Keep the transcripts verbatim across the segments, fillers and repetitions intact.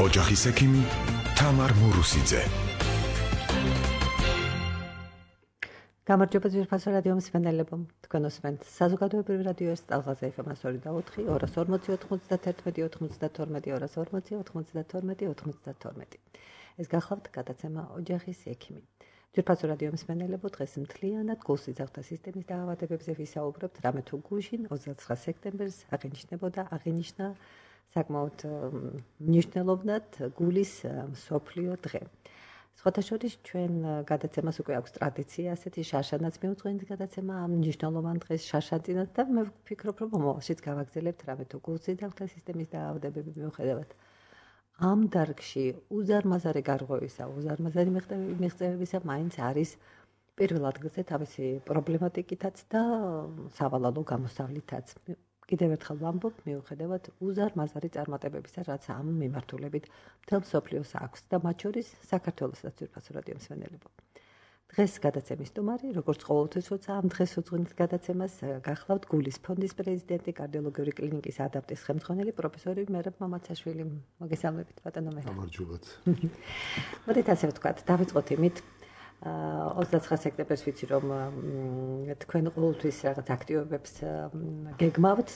ოჯახის ექიმი თამარ მურუსიძე. გამარჯობა ძვირფასო რადიო მსმენელებო, თქვენ უსმენთ საზოგადოებრივი რადიო ეს ტალღაზე ეფ ემ სამი და ოთხი, ორას ორმოცი ოთხმოცდათერთმეტი ოთხმოცდათორმეტი, ორას ორმოცი ოთხმოცდათორმეტი ოთხმოცდათორმეტი. ეს გახლავთ გადაცემა ოჯახის ექიმი. ძვირფასო რადიო მსმენელებო, დღეს მთლიანად გულსიძახთა სისტემის დაავადებებზე ვისაუბრებთ, რამე თუ გუშინ ოცდაცხრა სექტემბერს აღინიშნებოდა, აღინიშნა საკმაოდ მნიშვნელოვნად გულის მსოფლიო დღე. სხვათა შორის ჩვენ გადაცემას უკვე აქვს ტრადიცია, ასეთი შარშანაც მიუძღვენთ გადაცემა ამ მნიშვნელოვან დღეს შარშანწინათ და მე ვფიქრობ, რომ მომავალშიც გავაგრძელებთ, რამე თუ გულსიძახთა სისტემის დაავადებები მიუხედავად ამ დარგში უზარმაზარი გარღვევისა, უზარმაზარი მიღწევებისა მაინც არის პირველ ადგილზე თავისი პრობლემატიკითაც და სავალალო გამოსავლითაც. კიდევ ერთხელ ვამბობ, მიუხედავად უზარმაზარი წარმატებებისა, რაც ამ მიმართულებით მთელ მსოფლიოს აქვს და მათ შორის საქართველოსაც ძვირფასო რადიო მსმენელებო. დღეს გადაცემის სტუმარი, როგორც ყოველთვის, როცა ამ დღეს უძღვენთ გადაცემას, გახლავთ გულის ფონდის პრეზიდენტი, კარდიოლოგიური კლინიკის ადაპტის ხელმძღვანელი პროფესორი მერაბ მამაცაშვილი. მოგესალმებით, ბატონო მერაბ. გამარჯობათ. მოდით ასე ვთქვათ, დავიწყოთ იმით. ოცდაცხრა სექტემბერს ვიცი, რომ თქვენ ყოველთვის რაღაც აქტივობებს გეგმავთ,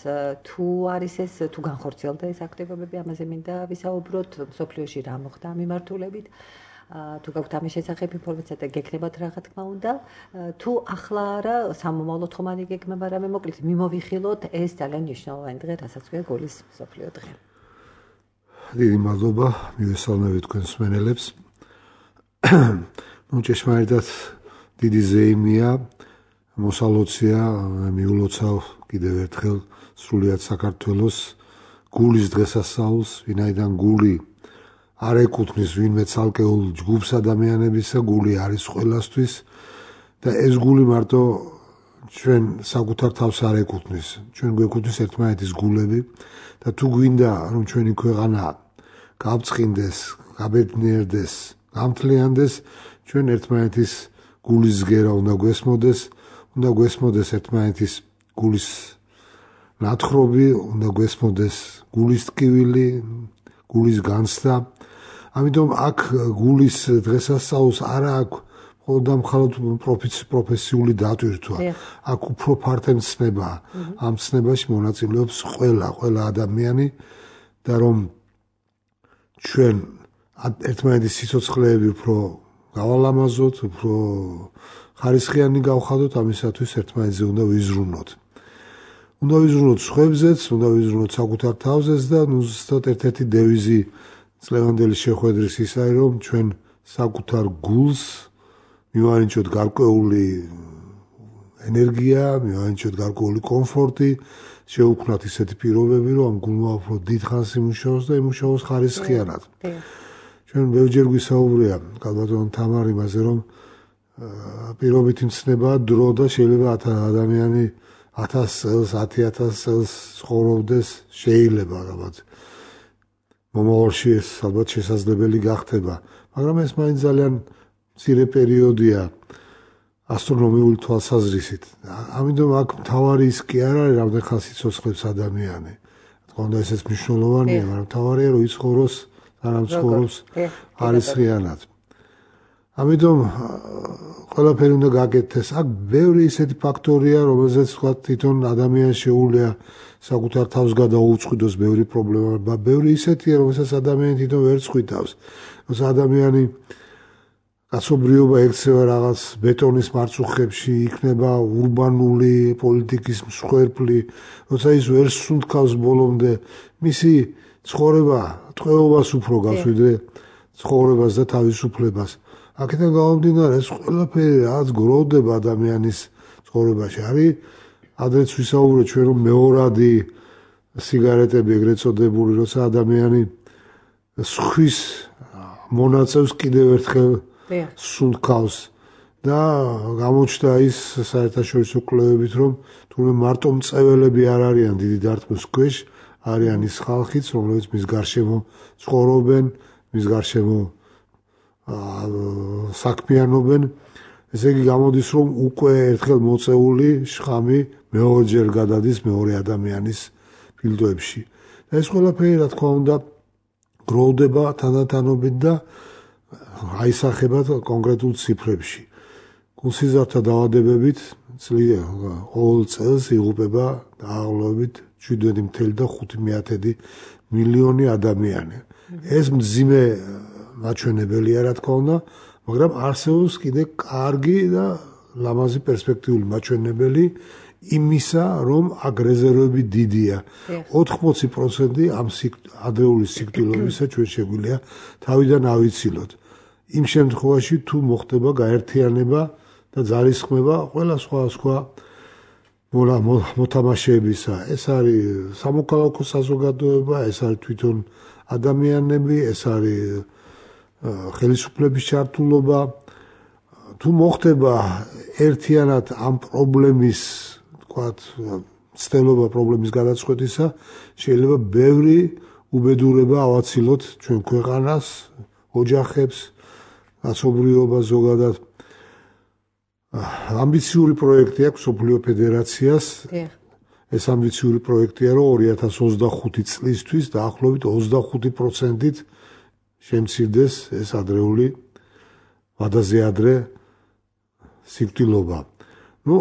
თუ არის ეს, თუ განხორციელდა ეს აქტივობები, ამაზე მინდა ვისაუბროთ, მსოფლიოში რა მოხდა ამ მიმართულებით, თუ გაქვთ ამის შესახებ ინფორმაცია და გექნებათ რა თქმა უნდა, თუ ახლა არა სამომავლო თხოვნი გეგმება რამე, მოკლედ მიმოვიხილოთ ეს ძალიან მნიშვნელოვანი დღე, რასაც ქვია გულის მსოფლიო დღე. დიდი მადლობა, მივესალმებით თქვენ მსმენელებს. ნუ ჭეშმარიტად დიდი ზეიმია, მოსალოცია, მიულოცავ კიდევ ერთხელ სრულიად საქართველოს გულის დღესასწაულს, ვინაიდან გული არ ეკუთვნის ვინმე ცალკეულ ჯგუფს ადამიანებისა, გული არის ყველასთვის და ეს გული მარტო ჩვენ საკუთარ თავს არ ეკუთვნის, ჩვენ გვეკუთვნის ერთმანეთის გულები და თუ გვინდა რომ ჩვენი ქვეყანა გავწყინდეს, გაბედნიერდეს, გამთლიანდეს, ჩვენ ერთმანეთის გულის ზგერა უნდა გვესმოდეს, უნდა გვესმოდეს ერთმანეთის გულის ნათხრობი, უნდა გვესმოდეს გულის ტკივილი, გულის განცდა. ამიტომ აქ გულის დღესასწაულს არა აქვს მხოლოდ და მხოლოდ პროფესიული დატვირთვა, აქ უფრო ფართე მცნება. ამ მცნებაში მონაწილეობს ყველა, ყველა ადამიანი და რომ ჩვენ ერთმანეთის სიცოცხლეები უფრო გავალამაზოთ, უფრო ხარისხიანი გავხადოთ, ამისათვის ერთმანეთზე უნდა ვიზრუნოთ. უნდა ვიზრუნოთ სხვებზეც, უნდა ვიზრუნოთ საკუთარ თავზეც და ნუ ზუსტად ერთ-ერთი დევიზი წლევანდელი შეხვედრის ის არის, რომ ჩვენ საკუთარ გულს მივანიჭოთ გარკვეული ენერგია, მივანიჭოთ გარკვეული კომფორტი, შევუქმნათ ისეთი პირობები, რომ ამ გულმა უფრო დიდხანს იმუშაოს და იმუშაოს ხარისხიანად. ჩვენ ბევრჯერ გვისაუბრია კალბატონ თამარ იმაზე, რომ პირობითი მცნებაა დრო და შეიძლება ადამიანი ათას წელს, ათი ათას წელს ცხოვრობდეს, შეიძლება ალბათ მომავალში ეს ალბათ შესაძლებელი გახდება, მაგრამ ეს მაინც ძალიან მცირე პერიოდია ასტრონომიული თვალსაზრისით. ამიტომ აქ მთავარი ის კი არ არის, რამდენ ხანს იცოცხლებს ადამიანი. თქო უნდა ესეც მნიშვნელოვანია, მაგრამ მთავარია რომ იცხოვროს არამ ცხოვრობს ხარისხიანად. ამიტომ ყველაფერი უნდა გაკეთდეს. აქ ბევრი ისეთი ფაქტორია, რომელზეც თქვა თვითონ ადამიანს შეუძლია საკუთარ თავს გადაუწყვიდოს ბევრი პრობლემა, ბევრი ისეთია, რომელსაც ადამიანი თვითონ ვერ წყვიტავს. როცა ადამიანი კაცობრიობა ექცევა რაღაც ბეტონის მარწუხებში, იქნება ურბანული პოლიტიკის მსხვერპლი, როცა ის ვერ სუნთქავს ბოლომდე მისი ცხოვრება ტყვეობას უფრო გავს ვიდრე ცხოვრებას და თავისუფლებას. აქედან გამომდინარე, ეს ყველაფერი რაც გროვდება ადამიანის ცხოვრებაში. არის ადრეც ვისაუბრეთ ჩვენ რომ მეორადი სიგარეტები ეგრეთ წოდებული, როცა ადამიანი სხვის მონაწევს კიდევ ერთხელ სუნთქავს და გამოჩნდა ის საერთაშორისო კვლევებით, რომ თურმე მარტო მწეველები არ არიან დიდი დარტყმის ქვეშ, არიან ის ხალხიც, რომლებიც მის გარშემო ცხოვრობენ, მის გარშემო საქმიანობენ. ესე იგი გამოდის, რომ უკვე ერთხელ მოწეული შხამი მეორჯერ გადადის მეორე ადამიანის ფილტვებში. და ეს ყველაფერი, რა თქმა უნდა, გროვდება თანდათანობით და აისახება კონკრეტულ ციფრებში. გულსიზართა დაავადებებით ყოველ წელს იღუპება დაახლოებით შვიდ ათეული და ხუთი მეათედი მილიონი ადამიანი. ეს მძიმე მაჩვენებელია, რა თქმა უნდა, მაგრამ არსებობს კიდე კარგი და ლამაზი პერსპექტიული მაჩვენებელი იმისა, რომ აქ რეზერვები დიდია. ოთხმოცი პროცენტი ამ ადრეული სიკვდილობისა ჩვენ შეგვიძლია თავიდან ავიცილოთ. იმ შემთხვევაში თუ მოხდება გაერთიანება და ძალისხმევა ყველა სხვა სხვა მოთამაშეებისა. ეს არის სამოქალაქო საზოგადოება, ეს არის თვითონ ადამიანები, ეს არის ხელისუფლების ჩართულობა. თუ მოხდება ერთიანად ამ პრობლემის, თქვათ, ცდელობა პრობლემის გადაწყვეტისა, შეიძლება ბევრი უბედურება ავაცილოთ ჩვენ ქვეყანას, ოჯახებს, კაცობრიობას ზოგადად. ამბიციური პროექტი აქვს მსოფლიო ფედერაციას. ეს ამბიციური პროექტია, რომ ორი ათას ოცდახუთი წლისთვის დაახლოებით ოცდახუთი პროცენტით შემცირდეს ეს ადრეული ვადაზე ადრე სიკვდილობა. ნუ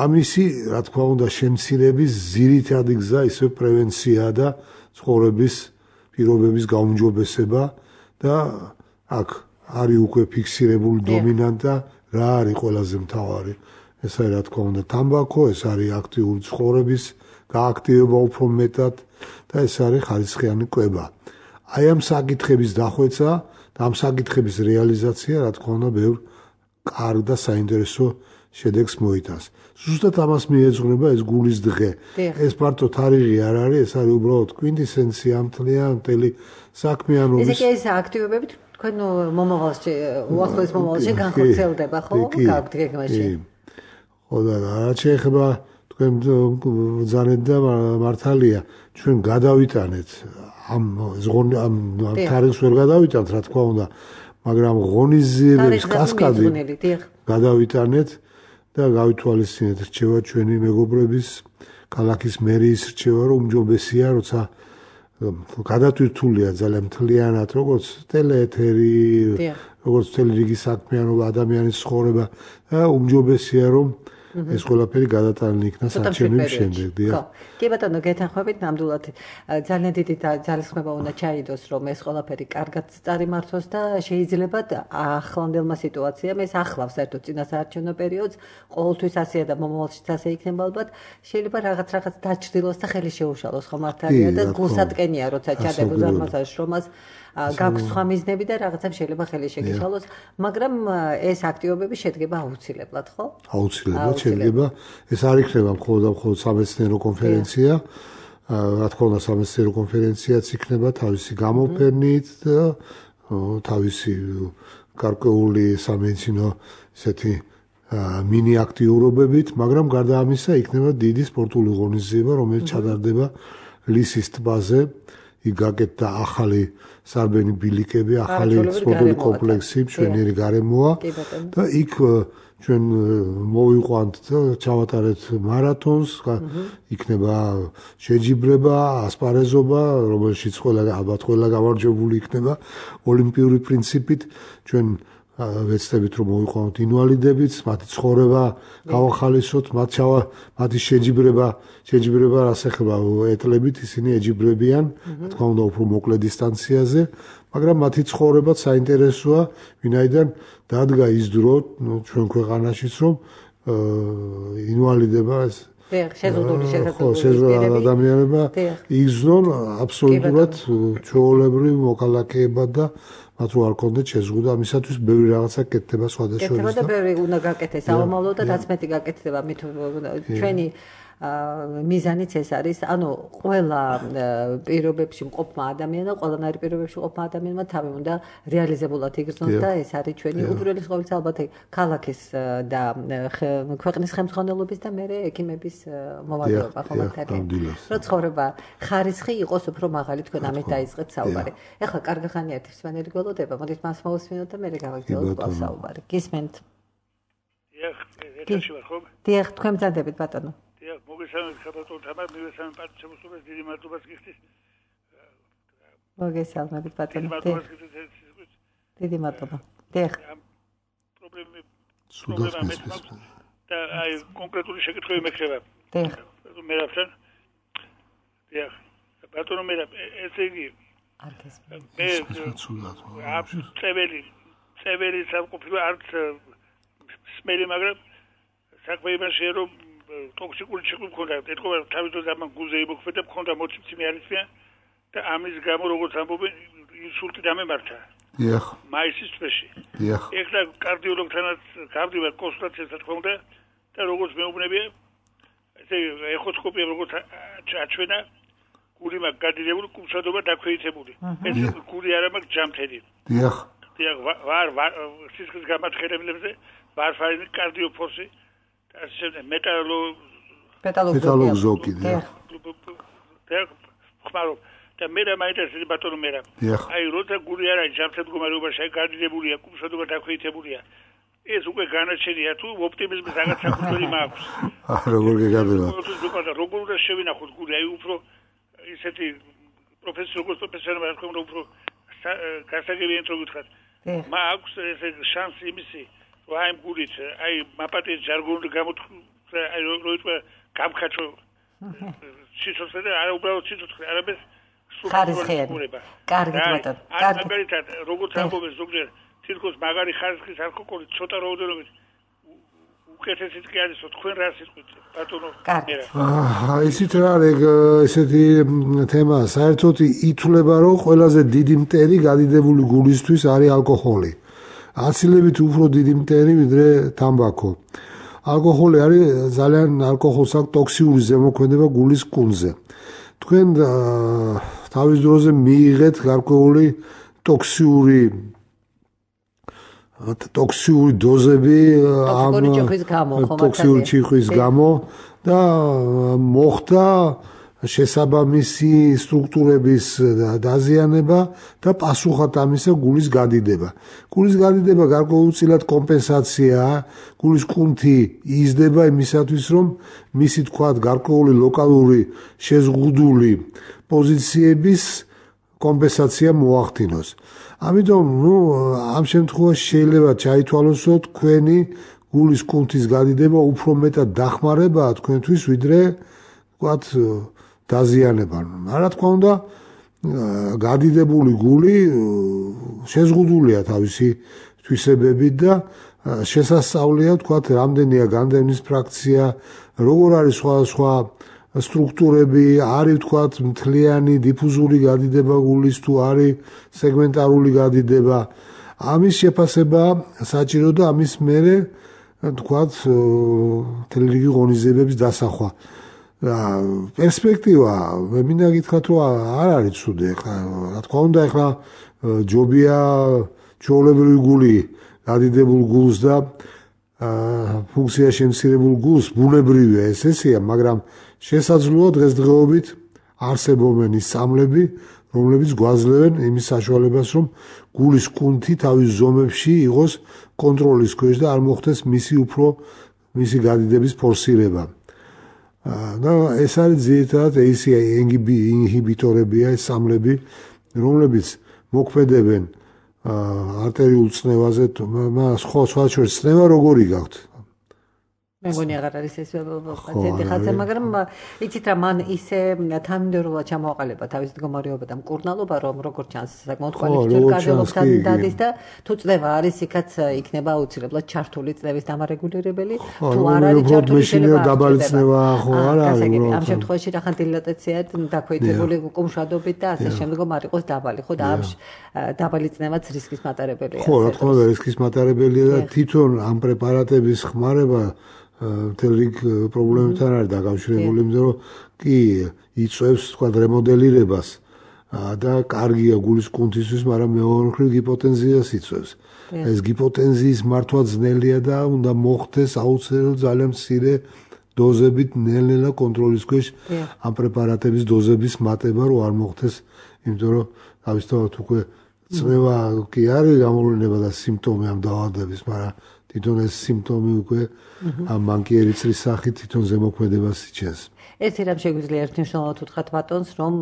ამისი, რა თქმა უნდა, შემცირების ძირითადი გზა ისე პრევენციაა და ცხოვრების პირობების გაუმჯობესება და აქ არის უკვე ფიქსირებული დომინანტა, რა არის ყველაზე მთავარი. ეს არის, რა თქმა უნდა, თამბაქო, ეს არის აქტიური ცხოვრების გააქტივება უფრო მეტად და ეს არის ხარისხიანი კვება. აი ამ საკითხების დახვეწა და ამ საკითხების რეალიზაცია, რა თქმა უნდა, ბევრ კარგ და საინტერესო შედეგს მოიტანს. ზუსტად ამას მიეძღვნება ეს გულის დღე. ეს მარტო თარიღი არ არის, ეს არის უბრალოდ კვინტესენცია მთელი საქმიანობის. ესე კი ეს აქტივობები თქვენ მომავალში, უახლოეს მომავალში განხორციელდება, ხო? გაქვთ გეგმაში. ხო და რა შეეხება თქვენ ბრძანეთ და მართალია, ჩვენ გადავიტანეთ ამ ზღონი ამ თარიღს ვერ გადავიტანთ, რა თქმა უნდა, მაგრამ ღონისძიებების კასკადი გადავიტანეთ და გავითვალისწინეთ რჩევა ჩვენი მეგობრების, ქალაქის მერიის რჩევა, რომ უმჯობესია, როცა გადატვირთულია ძალიან მთლიანად, როგორც ტელეეთერი, როგორც მთელი რიგი საქმიანობა, ადამიანის ცხოვრება და უმჯობესია, რომ ეს ყველაფერი გადატანილი იქნა საარჩევნების შემდეგ. ხო. კი ბატონო, გეთანხმებით ნამდვილად ძალიან დიდი ძალისხმევა უნდა ჩაიდოს, რომ ეს ყველაფერი კარგად წარიმართოს და შეიძლება ახლანდელმა სიტუაციამ ეს ახლავს საერთოდ წინასაარჩევნო პერიოდს, ყოველთვის ასეა და მომავალშიც ასე იქნება ალბათ. შეიძლება რაღაც რაღაც დაჩრდილოს და ხელი შეუშალოს, ხო მართალია და გულსატკენია, როცა ჩადებ უზარმაზარ შრომას გაქვს სხვა მიზნები და რაღაცამ შეიძლება ხელი შეგიშალოს, მაგრამ ეს აქტივობები შედგება აუცილებლად, ხო? აუცილებლად შედგება. ეს არ იქნება მხოლოდ და მხოლოდ სამეცნიერო კონფერენცია. რა თქმა უნდა, სამეცნიერო კონფერენციაც იქნება თავისი გამოფენით და თავისი გარკვეული სამეცნიერო ესეთი მინი აქტიურობებით, მაგრამ გარდა ამისა იქნება დიდი სპორტული ღონისძიება, რომელიც ჩატარდება ლისის ტბაზე. იქ გაკეთდა ახალი სარბენი ბილიკები, ახალი სპორტული კომპლექსი, მშვენიერი გარემოა და იქ ჩვენ მოვიყვანთ და ჩავატარეთ მარათონს, იქნება შეჯიბრება, ასპარეზობა, რომელშიც ყველა ალბათ ყველა გამარჯვებული იქნება ოლიმპიური პრინციპით. ჩვენ ვეცდებით, რომ მოვიყვანოთ ინვალიდებიც, მათი ცხოვრება გავახალისოთ, მათ ჩავა მათი შეჯიბრება, შეჯიბრება რას ეხება ეტლებით, ისინი ეჯიბრებიან, რა თქმა უნდა, უფრო მოკლე დისტანციაზე, მაგრამ მათი ცხოვრებაც საინტერესოა, ვინაიდან დადგა ის დრო ჩვენ ქვეყანაშიც, რომ ინვალიდება ეს შეზღუდული შესაძლებლობები ადამიანება იგრძნონ აბსოლუტურად ჩვეულებრივ მოქალაქეებად და მათ რო არ კონდეთ შეზღუდვა, ამისათვის ბევრი რაღაცა კეთდება სხვადასხვა. კეთდება და ბევრი უნდა გაკეთდეს საომავლო და რაც მეტი გაკეთდება, მით ჩვენი მიზანიც ეს არის, ანუ ყველა პირობებში მყოფმა ადამიანმა, ყველანაირი პირობებში მყოფმა ადამიანმა თავი უნდა რეალიზებულად იგრძნოს და ეს არის ჩვენი უპირველეს ყოვლისა ალბათ ქალაქის და ქვეყნის ხელმძღვანელობის და მერე ექიმების მოვალეობა ხო მართალია. რომ ცხოვრება ხარისხი იყოს უფრო მაღალი, თქვენ ამით დაიწყეთ საუბარი. ეხლა კარგი ხანია ერთი მსმენელი გველოდება, მოდით მას მოვუსმინოთ და მერე გავაგრძელოთ კვლავ საუბარი. გისმენთ? დიახ, ეთერში ვარ ხო? დიახ, თქვენ მზადებით ბატონო. მოგესალმებით ხაბატონ თამარ, მივესალმებით პარტიების დიდი მადლობას გიხდის. მოგესალმებით ბატონო. დიდი მადლობა. დიახ. პრობლემა პრობლემა და აი კონკრეტული შეკითხვები მექნება. დიახ. მე რაფთან? დიახ. ბატონო მე ესე იგი არქეს. მე წეველი წეველი სამყოფილო არც სმელი მაგრამ საქმე იმაში რომ ტოქსიკური ციკლი მქონდა. ეთქვა თავისთავად ამ გულზე იმოქმედა მქონდა მოცემცემი არიციან და ამის გამო როგორც ამბობენ ინსულტი დამემართა. დიახ. მაისის თვეში. დიახ. ეხლა კარდიოლოგთანაც გავდივარ კონსულტაციას რა თქმა უნდა და როგორც მეუბნებია ესე ეხოსკოპია როგორც აჩვენა გული მაგ გადიდებული კუმშადობა დაქვეითებული. ეს გული არა მაგ ჯამთელი. დიახ. დიახ ვარ ვარ სისხლის გამაჩხერებლებზე ვარფარინი კარდიოფოსი და ასე მეტალო მეტალოგზოკი დიახ. დიახ ხმარო და მე რა მაინტერესებს ბატონო მე რა აი როცა გული არა ჯამთელ მდგომარეობაში აი გადიდებულია კუმშადობა დაქვეითებულია ეს უკვე განაჩენია თუ ოპტიმიზმის რაღაც საკუთარი მაქვს აა როგორ გეგადება როგორ უნდა შევინახოთ გული აი უფრო ისეთი პროფესიულ პროფესიონალ რა თქმა უნდა უფრო გასაგებია თუ გითხრათ მაქვს ეს შანსი იმისი რომ აი გულით აი მაპატის ჟარგონული გამოთქვა აი როიტყვე გამხაჩო სიცოცხლე და არა უბრალოდ სიცოცხლე არამედ ხარისხიანი. კარგი ბატონო. კარგი. მაგალითად, როგორც ამბობენ ზოგჯერ, თითქოს მაგარი ხარისხის ალკოჰოლი ცოტა რაოდენობით უკეთესიც კი არის, თქვენ რა სიტყვით, ბატონო? კარგი. აა, ისიც რა არის ესეთი თემა, საერთოდ ითვლება, რომ ყველაზე დიდი მტერი გადიდებული გულისთვის არის ალკოჰოლი. აცილებით უფრო დიდი მტერი ვიდრე თამბაქო. ალკოჰოლი არის ძალიან ალკოჰოლს აქვს ტოქსიური ზემოქმედება გულის კუნძზე. თქვენ თავის დროზე მიიღეთ გარკვეული ტოქსიური ტოქსიური დოზები ამ ტოქსიური ჭიხვის გამო და მოხდა შესაბამისი სტრუქტურების დაზიანება და პასუხად ამისა გულის გადიდება. გულის გადიდება გარკვეულწილად კომპენსაციაა, გულის კუნთი იზრდება იმისათვის, რომ მისი თქვათ გარკვეული ლოკალური შეზღუდული პოზიციების კომპენსაცია მოახდინოს. ამიტომ, ნუ, ამ შემთხვევაში შეიძლება ჩაითვალოს, რომ თქვენი გულის კუნთის გადიდება უფრო მეტად დახმარებაა თქვენთვის, ვიდრე თქვათ დაზიანება. რა თქმა უნდა, გადიდებული გული შეზღუდულია თავისი თვისებებით და შესასწავლია თქვათ რამდენია განდევნის ფრაქცია, როგორ არის სხვადასხვა სტრუქტურები, არის თქვათ მთლიანი დიფუზური გადიდება გულის თუ არის სეგმენტარული გადიდება. ამის შეფასება საჭირო და ამის მერე თქვათ მთელი რიგი ღონისძიებების დასახვა. პერსპექტივა მე მინდა გითხრათ რომ არ არის ცუდი ახლა რა თქმა უნდა ახლა ჯობია ჩვეულებრივი გული გადიდებულ გულს და ფუნქცია შემცირებულ გულს ბუნებრივია ეს ესეა მაგრამ შესაძლოა დღესდღეობით არსებობენ ის სამლები რომლებიც გვაძლევენ იმის საშუალებას რომ გულის კუნთი თავის ზომებში იყოს კონტროლის ქვეშ და არ მოხდეს მისი უფრო მისი გადიდების ფორსირება და ეს არის ძირითადად ეს ინჰიბიტორებია ეს სამლები რომლებიც მოქმედებენ არტერიულ წნევაზე სხვა სხვა შორის წნევა როგორი გაქვთ მე მგონი აღარ არის ეს პაციენტი ხალხი მაგრამ იცით რა მან ისე თანმიმდევრულად ჩამოაყალიბა თავის მდგომარეობა და მკურნალობა რომ როგორ ჩანს საკმაოდ კვალიფიციური კარდიოლოგთან დადის და თუ წნევა არის იქაც იქნება აუცილებლად ჩართული წნევის დამარეგულირებელი თუ არ არის ჩართული შეიძლება დაბალი წნევა ხო არ არის ამ შემთხვევაში რახან დილატაცია დაქვეითებული კუმშადობით და ასე შემდგომ არ იყოს დაბალი ხო და ამ დაბალი წნევაც რისკის მატარებელია ხო რა თქმა უნდა რისკის მატარებელია და თვითონ ამ პრეპარატების ხმარება მთელ რიგ პრობლემებთან არის დაკავშირებული, იმიტომ რომ კი იწვევს თქვა რემოდელირებას და კარგია გულის კუნთისთვის, მაგრამ მეორე მხრივ ჰიპოტენზიას იწვევს. ეს ჰიპოტენზიის მართვა ძნელია და უნდა მოხდეს აუცილებლად ძალიან მცირე დოზებით ნელ-ნელა კონტროლის ქვეშ ამ პრეპარატების დოზების მატება, რომ არ მოხდეს, იმიტომ რომ თავისთავად უკვე წნევა კი არის გამოვლენა და სიმპტომი ამ დაავადების, მაგრამ თვითონ ეს სიმპტომი უკვე ამ მანკიერიცრის სახით თვითონ ზემოქმედებას იჩენს. ერთი რამ შეგვიძლია ერთნიშნულად უთხრათ ბატონს, რომ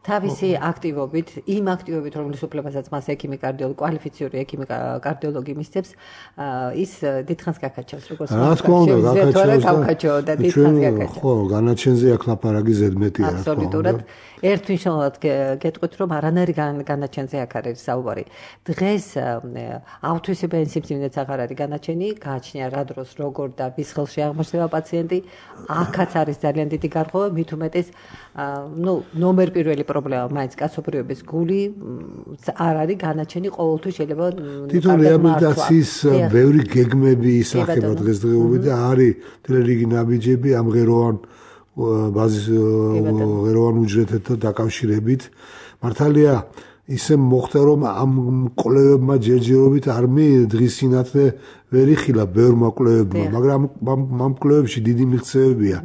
თავისი აქტივობით, იმ აქტივობით, რომლის უფლებასაც მას ექიმი კარდიოლოგი, კვალიფიციური ექიმი კარდიოლოგი მისცემს, ის დიდხანს გაკაჩავს, როგორც რა თქმა უნდა, გაკაჩავს და დიდხანს გაკაჩავს. ხო, განაჩენზე აქ ლაპარაკი ზედმეტია, რა თქმა უნდა. აბსოლუტურად. ერთნიშნულად გეტყვით, რომ არანაირი განაჩენზე აქ არის საუბარი. დღეს ავთვისებიანი სიმსივნეც აღარ არის განაჩენი, გააჩნია რა დროს, როგორ და ვის ხელში აღმოჩნდება პაციენტი, აქაც არის ძალიან დიდი გარღვევა, მით უმეტეს, ნუ ნომერ პირველი პრობლემა მაინც კაცობრიობის გული არ არის განაჩენი, ყოველთვის შეიძლება თვითონ რეაბილიტაციის ბევრი გეგმები ისახება დღესდღეობით და არის მთელი რიგი ნაბიჯები ამღეროვან ბაზის ღეროვან უჯრედთან დაკავშირებით. მართალია ისე მოხდა რომ ამ კვლევებმა ჯერჯერობით არ მე დღის სინათლე ვერ იხილა ბევრმა კვლევებმა, მაგრამ ამ კვლევებში დიდი მიღწევებია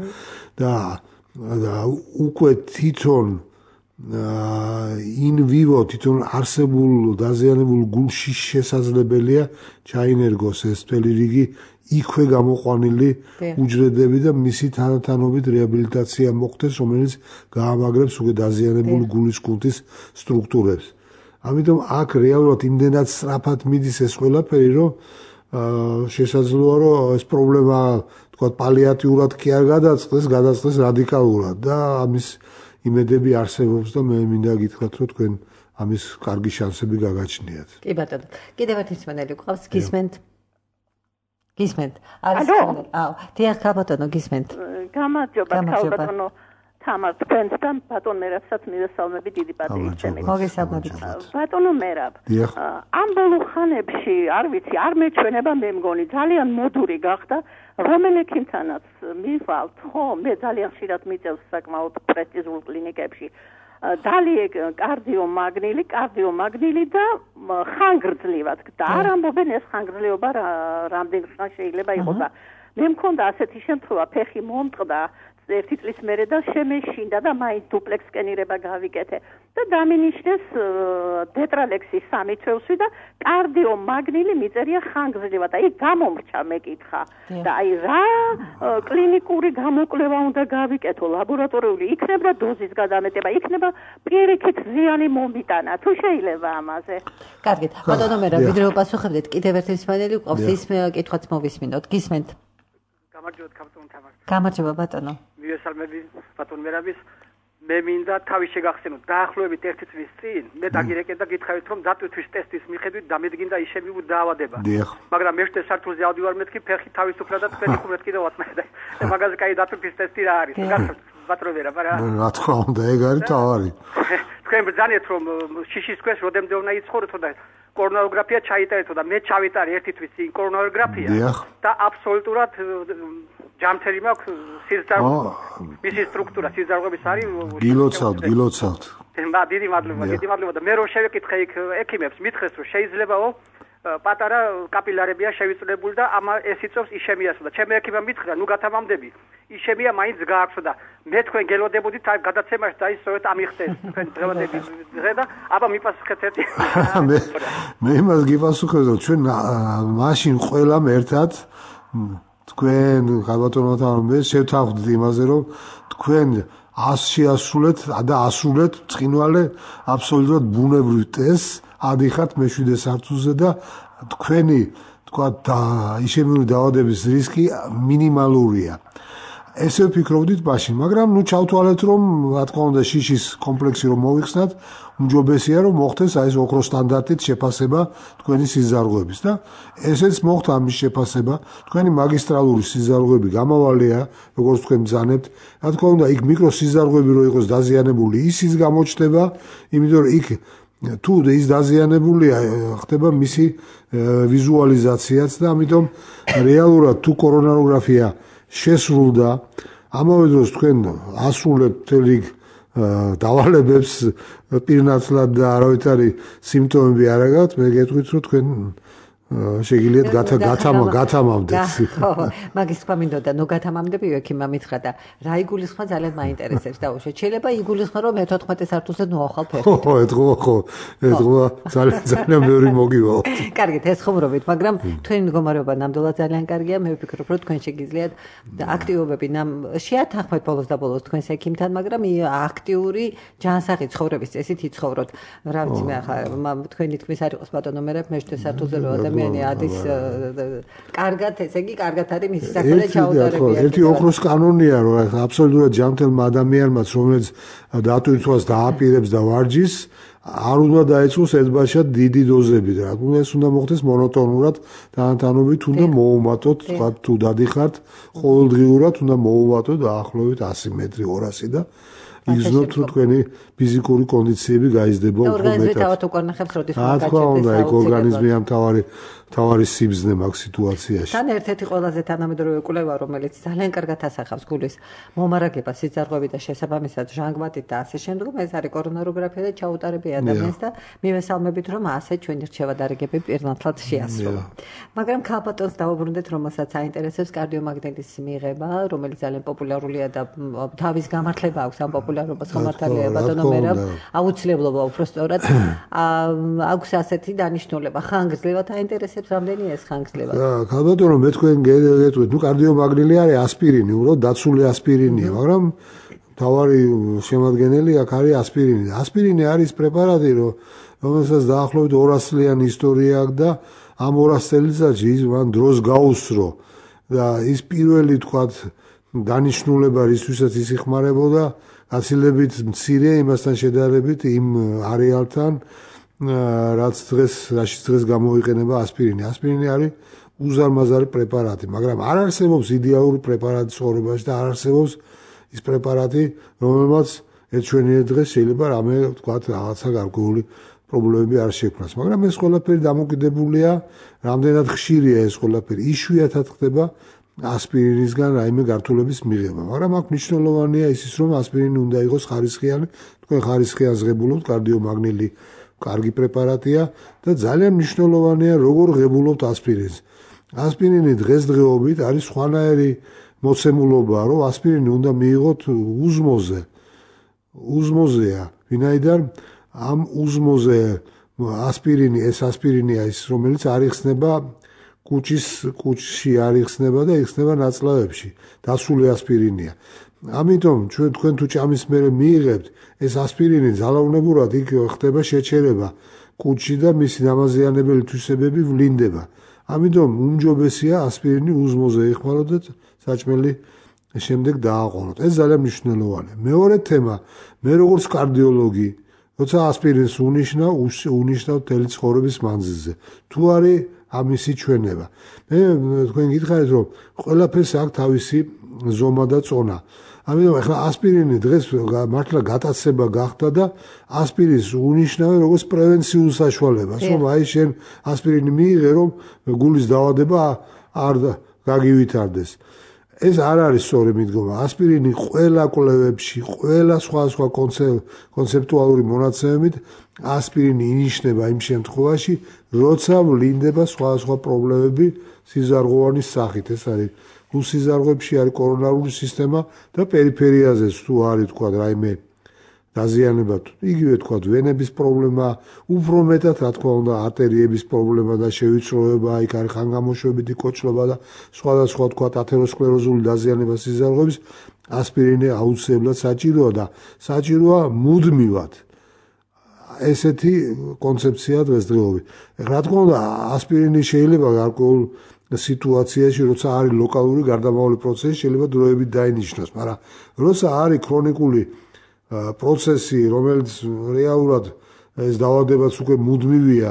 და უკვე თვითონ in vivo თვითონ არსებულ დაზიანებულ გულში შესაძლებელია ჩაინერგოს ეს მთელი რიგი იქვე გამოყვანილი უჯრედები და მისი თანათანობით რეაბილიტაცია მოხდეს, რომელიც გაამაგრებს უკვე დაზიანებული გულის კულტის სტრუქტურებს. ამიტომ აქ რეალურად იმდენად სწრაფად მიდის ეს ყველაფერი, რომ შესაძლოა რომ ეს პრობლემა თქვა პალიატიურად კი არ გადაწყდეს, გადაწყდეს რადიკალურად და ამის იმედები არსებობს და მე მინდა გითხრათ, რომ თქვენ ამის კარგი შანსები გაგაჩნიათ. კი ბატონო. კიდევ ერთი მსმენელი გვყავს, გისმენთ? გისმენთ? არის მსმენელი? აუ, დიახ, ბატონო, გისმენთ. გამარჯობა, ბატონო. თამარ, თქვენთან ბატონ მერაბსაც მივესალმები დიდი პატივისცემით. მოგესალმებით. ბატონო მერაბ, ამ ბოლო ხანებში, არ ვიცი, არ მეჩვენება მე მგონი, ძალიან მოდური გახდა, რომელ ექიმთანაც მივალთ, ხო, მე ძალიან ხშირად მიწევს საკმაოდ პრესტიჟულ კლინიკებში. დალიე კარდიომაგნილი, კარდიომაგნილი და ხანგრძლივად. და არ ამბობენ ეს ხანგრძლივობა რამდენ ხანს შეიძლება იყოს და მე მქონდა ასეთი შემთხვევა, ფეხი მომტყდა ერთი წლის მერე და შემეშინდა და მაინც დუპლექს სკენირება გავიკეთე და დამინიშნეს დეტრალექსის სამი თვევსი და კარდიომაგნილი მიწერია ხანგრძლივად. აი გამომრჩა მეკითხა და აი რა კლინიკური გამოკვლევა უნდა გავიკეთო, ლაბორატორიული იქნება დოზის გადამეტება, იქნება პირიქით ზიანი მომიტანა, თუ შეიძლება ამაზე. კარგით, ბატონო მერაბ, ვიდრე ვაპასუხებდეთ, კიდევ ერთი მსმენელი გვყავს, ის კითხვაც მოვისმინოთ. გისმენთ? გამარჯობა ბატონო თამარ. გამარჯობა ბატონო. მივესალმები ბატონ მერაბის. მე მინდა თავის შეგახსენოთ დაახლოებით ერთი წლის წინ მე დაგირეკე და გითხარით რომ დატვირთვის ტესტის მიხედვით დამედგინდა ისევი დაავადება. მაგრამ მეშტე სართულზე ავდივარ მეთქი ფეხი თავისუფლად და თქვენი ხუმრეთ კიდევ ვატმევდა. მაგაზე კაი დატვირთვის ტესტი რა არის? გასწრაფ ბატონო მერაბ რა. რა თქმა უნდა, ეგ არის თავარი. თქვენ ბრძანეთ რომ შიშის ქვეშ როდემდე უნდა იცხოვროთ და კორონაროგრაფია ჩაიტარეთო და მე ჩავიტარე ერთი თვის წინ კორონაროგრაფია და აბსოლუტურად ჯამთერი მაქვს სიზარღვე მისი სტრუქტურა სიზარღვების არის გილოცავთ გილოცავთ და დიდი მადლობა დიდი მადლობა და მე რო შევეკითხე იქ ექიმებს მითხეს რომ შეიძლებაო პატარა კაპილარებია შევიწლებული და ამა ეს იწევს იშემიას და ჩემი ექიმმა მითხრა ნუ გათამამდები იშემია მაინც გააქვსო და მე თქვენ გელოდებოდით აი გადაცემაში და ის სწორედ ამიხდეს თქვენ დღევანდელი დღე და აბა მიპასუხეთ ერთი მე მე იმას გიპასუხებ რომ ჩვენ მაშინ ყველამ ერთად თქვენ გაბატონოთ მე შევთანხმდით იმაზე რომ თქვენ ასშეასრულეთ და ასრულეთ წყინვალე აბსოლუტურად ბუნებრივ ტესტს ადიხათ მეშვიდე სართულზე და თქვენი თქვა იშემიური დაავადების რისკი მინიმალურია. ესე ვფიქრობდით მაშინ, მაგრამ ნუ ჩავთვალეთ რომ რა თქმა უნდა შიშის კომპლექსი რომ მოიხსნათ, უმჯობესია რომ მოხდეს აი ეს ოქროს სტანდარტით შეფასება თქვენი სიზარღვების და ესეც მოხდა ამის შეფასება. თქვენი მაგისტრალური სიზარღვები გამავალია, როგორც თქვენ ბრძანებთ. რა თქმა უნდა იქ მიკროსიზარღვები რო იყოს დაზიანებული, ისიც გამოჩნდება, იმიტომ რომ იქ თუ ის დაზიანებულია ხდება მისი ვიზუალიზაციაც და ამიტომ რეალურად თუ კორონაროგრაფია შესრულდა ამავე დროს თქვენ ასრულებთ თელი დავალებებს პირნაცლად და არავითარი სიმპტომები არ აგაქვთ მე გეტყვით რომ თქვენ შეგიძლიათ გათამა გათამამდეთ. ხო, მაგის თქვა მინდოდა, ნუ გათამამდები ექიმმა მითხრა და რა იგულისხმა ძალიან მაინტერესებს და უშო. შეიძლება იგულისხმა რომ მეთოთხმეტე სართულზე ნუ ახალ ფერით. ხო, ეთქვა ხო. ეთქვა ძალიან ძალიან მეორე მოგივა. კარგით, ეს ხუმრობით, მაგრამ თქვენი მდგომარეობა ნამდვილად ძალიან კარგია. მე ვფიქრობ, რომ თქვენ შეგიძლიათ აქტივობები შეათანხმეთ ბოლოს და ბოლოს თქვენს ექიმთან, მაგრამ აქტიური ჯანსაღი ცხოვრების წესით იცხოვროთ. რა ვიცი მე ახლა თქვენი თქმის არ იყოს ბატონო მე მეთოთხმეტე სართულზე რო ადამიანი ადის კარგად, ესე იგი კარგად არის მისი საქმე ჩაუტარებია. ერთი ოქროს კანონია, რომ აბსოლუტურად ჯანმრთელმა ადამიანმაც, რომელიც დატვირთვას დააპირებს და ვარჯის, არ უნდა დაეწყოს ერთბაშად დიდი დოზები და ეს უნდა მოხდეს მონოტონურად, თანათანობით უნდა მოუმატოთ, თქვა თუ დადიხართ, ყოველდღიურად უნდა მოუმატოთ დაახლოებით ასი მეტრი ორასი და იგრძნობთ რომ თქვენი ფიზიკური კონდიციები გაიზრდება უფრო მეტად. ორგანიზმი თავად უკარნახებს როდის უნდა გაჩერდეს. რა თქმა უნდა, იქ ორგანიზმი ამ თავარი თავარი სიბზნე მაგ სიტუაციაში. თან ერთ-ერთი ყველაზე თანამედროვე კვლევა, რომელიც ძალიან კარგად ასახავს გულის მომარაგებას, სიძარღვებით და შესაბამისად ჟანგბადით და ასე შემდგომ, ეს არის კორონაროგრაფია და ჩაუტარები ადამიანს და მივესალმებით, რომ ასე ჩვენი რჩევა დარიგები პირნათლად შეასრულა. მაგრამ ქალბატონს დავუბრუნდეთ, რომელსაც აინტერესებს კარდიომაგნიტის მიღება, რომელიც ძალიან პოპულარულია და თავის გამართლება აქვს ამ პოპულარობას ხომართალია ბატონო მერაბ, აუცილებლობა უფრო სწორად აქვს ასეთი დანიშნულება. ხანგრძლივად აინტერესებს რამდენი ეს ხანგრძლივად? ქალბატონო, მე თქვენ გეტყვით, ნუ კარდიომაგნილი არის ასპირინი, უბრალოდ დაცული ასპირინია, მაგრამ თავარი შემადგენელი აქ არის ასპირინი. ასპირინი არის პრეპარატი, რომელსაც დაახლოებით ორას წლიანი ისტორია აქვს და ამ ორას წელიწადში ის მან დროს გაუსწრო და ის პირველი თქვათ დანიშნულება რისთვისაც ის იხმარებოდა გაცილებით მცირე იმასთან შედარებით იმ არეალთან რაც დღეს რაშიც დღეს გამოიყენება ასპირინი. ასპირინი არის უზარმაზარი პრეპარატი, მაგრამ არ არსებობს იდეალური პრეპარატი ცხოვრებაში და არ არსებობს ის პრეპარატი, რომელმაც ერთშვენიერ დღეს შეიძლება რამე თქვათ რაღაცა გარკვეული პრობლემები არ შექმნას. მაგრამ ეს ყველაფერი დამოკიდებულია, რამდენად ხშირია ეს ყველაფერი. იშვიათად ხდება ასპირინისგან რაიმე გართულების მიღება, მაგრამ აქ მნიშვნელოვანია ის რომ ასპირინი უნდა იყოს ხარისხიანი, თქვენ ხარისხიანს ღებულობთ, კარდიომაგნილი კარგი პრეპარატია და ძალიან მნიშვნელოვანია როგორ ღებულობთ ასპირინს. ასპირინი დღესდღეობით არის სხვანაირი მოცემულობა, რომ ასპირინი უნდა მიიღოთ უზმოზე. უზმოზეა, ვინაიდან ამ უზმოზე ასპირინი, ეს ასპირინია ის, რომელიც არ იხსნება კუჭის კუჭში არ იხსნება და იხსნება ნაწლავებში. დასული ასპირინია. ამიტომ ჩვენ თქვენ თუ ჭამის მერე მიიღებთ ეს ასპირინი ძალაუნებურად იქ ხდება შეჩერება კუჭში და მისი დამაზიანებელი თვისებები ვლინდება. ამიტომ უმჯობესია ასპირინი უზმოზე იხმაროთ და საჭმელი შემდეგ დააყენოთ. ეს ძალიან მნიშვნელოვანია. მეორე თემა, მე როგორც კარდიოლოგი, როცა ასპირინს უნიშნავ, უნიშნავ მთელი ცხოვრების მანძილზე. თუ არის ამისი ჩვენება. მე თქვენ გითხარით რომ ყველაფერს აქვს თავისი ზომა და წონა. ამიტომ ახლა ასპირინი დღეს მართლა გატაცება გახდა და ასპირინს უნიშნავენ როგორც პრევენციულ საშუალებას, რომ აი შენ ასპირინი მიიღე, რომ გულის დაავადება არ გაგივითარდეს. ეს არ არის სწორი მიდგომა. ასპირინი ყველა კვლევებში, ყველა სხვა სხვა კონცეპტუალური მონაცემებით ასპირინი ინიშნება იმ შემთხვევაში, როცა ვლინდება სხვა სხვა პრობლემები სიზარღვოვანის სახით. ეს არის გულსიზარღვებში არის კორონარული სისტემა და პერიფერიაზეც თუ არის თქვა რაიმე დაზიანება, იგივე თქვა ვენების პრობლემა, უფრო მეტად რა თქმა უნდა არტერიების პრობლემა და შევიწროება, იქ არის ხანგამოშვებითი კოჭლობა და სხვადასხვა თქვა ათეროსკლეროზული დაზიანება სიზარღვების, ასპირინი აუცილებლად საჭიროა და საჭიროა მუდმივად. ესეთი კონცეფცია დღესდღეობით. რა თქმა უნდა ასპირინი შეიძლება გარკვეულ სიტუაციაში, როცა არის ლოკალური გარდამავალი პროცესი, შეიძლება დროებით დაინიშნოს, მაგრამ როცა არის ქრონიკული პროცესი, რომელიც რეალურად ეს დაავადებაც უკვე მუდმივია,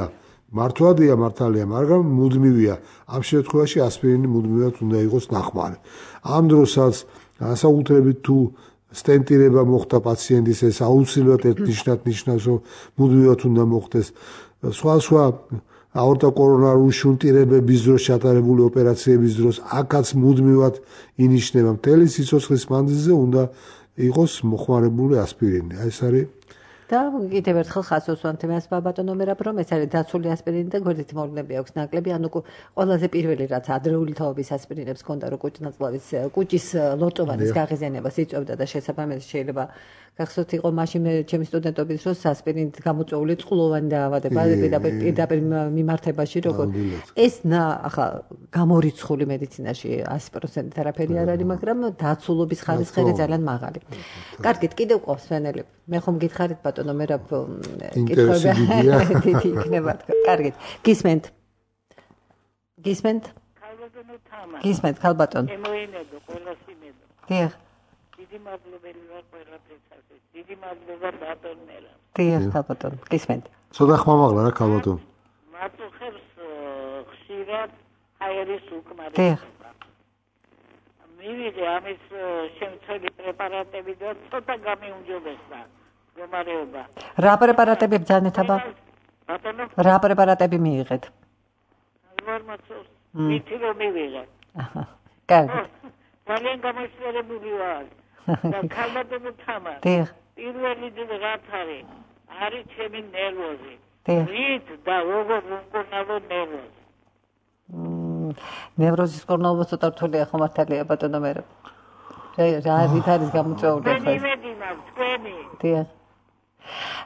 მართვადია მართალია, მაგრამ მუდმივია. ამ შემთხვევაში ასპირინი მუდმივად უნდა იყოს ნახმარი. ამ დროსაც განსაკუთრებით თუ სტენტირება მოხდა პაციენტის, ეს აუცილებლად ერთნიშნად ნიშნავს, რომ მუდმივად უნდა მოხდეს. სხვა სხვა აორტოკორონარული შუნტირებების დროს ჩატარებული ოპერაციების დროს აქაც მუდმივად ინიშნება. მთელი სიცოცხლის მანძილზე უნდა იყოს მოხმარებული ასპირინი. ეს არის და კიდევ ერთხელ ხაზს უსვამთ იმას ბატონო მერაბ, რომ ეს არის დაცული ასპირინი და გვერდითი მოვლენები აქვს ნაკლები, ანუ ყველაზე პირველი რაც ადრეული თაობის ასპირინებს ჰქონდა, რომ კუჭნაწლავის კუჭის ლოტოვანის გაღიზიანებას იწვევდა და შესაბამისად შეიძლება გახსოვთ იყო მაშინ მე ჩემი სტუდენტობის დროს ასპირინით გამოწვეული წყლოვანი დაავადება პირდაპირ პირდაპირ მიმართებაში როგორ ეს ახლა გამორიცხული მედიცინაში one hundred percent არაფერი არ არის, მაგრამ დაცულობის ხარისხი ძალიან მაღალი. კარგით, კიდევ ყავს ფენელები. მე ხომ გითხარით ბატონო მერაბ კითხვები დიდი იქნება. კარგით. გისმენთ? გისმენთ? ქალბატონო თამა. გისმენთ, ქალბატონ. ემოინებო, ყველას იმედო. დიახ. დიდი მადლობელი ვარ ყველაფერსაც. დიდი მადლობა ბატონ მერაბ. დიახ, ქალბატონ. გისმენთ? ცოტა ხმამაღლა რა ქალბატონ. მაწუხებს ხშირად აერის უკმარი. დიახ. მივიდე ამის შემცველი პრეპარატები და ცოტა გამიუმჯობესდა მდგომარეობა. რა პრეპარატები ბრძანეთ აბა? ბატონო? რა პრეპარატები მიიღეთ? ვარმაცოს მითი რომ მივიღე. აჰა. კარგი. ძალიან გამოსწორებული ვარ. და ქალბატონო თამა. დიახ. პირველი რაც არის, არის ჩემი ნერვოზი. დიახ. რით და როგორ უკონავო ნერვოზი. ნევროზის კორნალობა ცოტა რთულია ხო მართალია ბატონო მერაბ. რა რით არის გამოწვეული ახლა? მე იმედი მაქვს თქვენი. დიახ.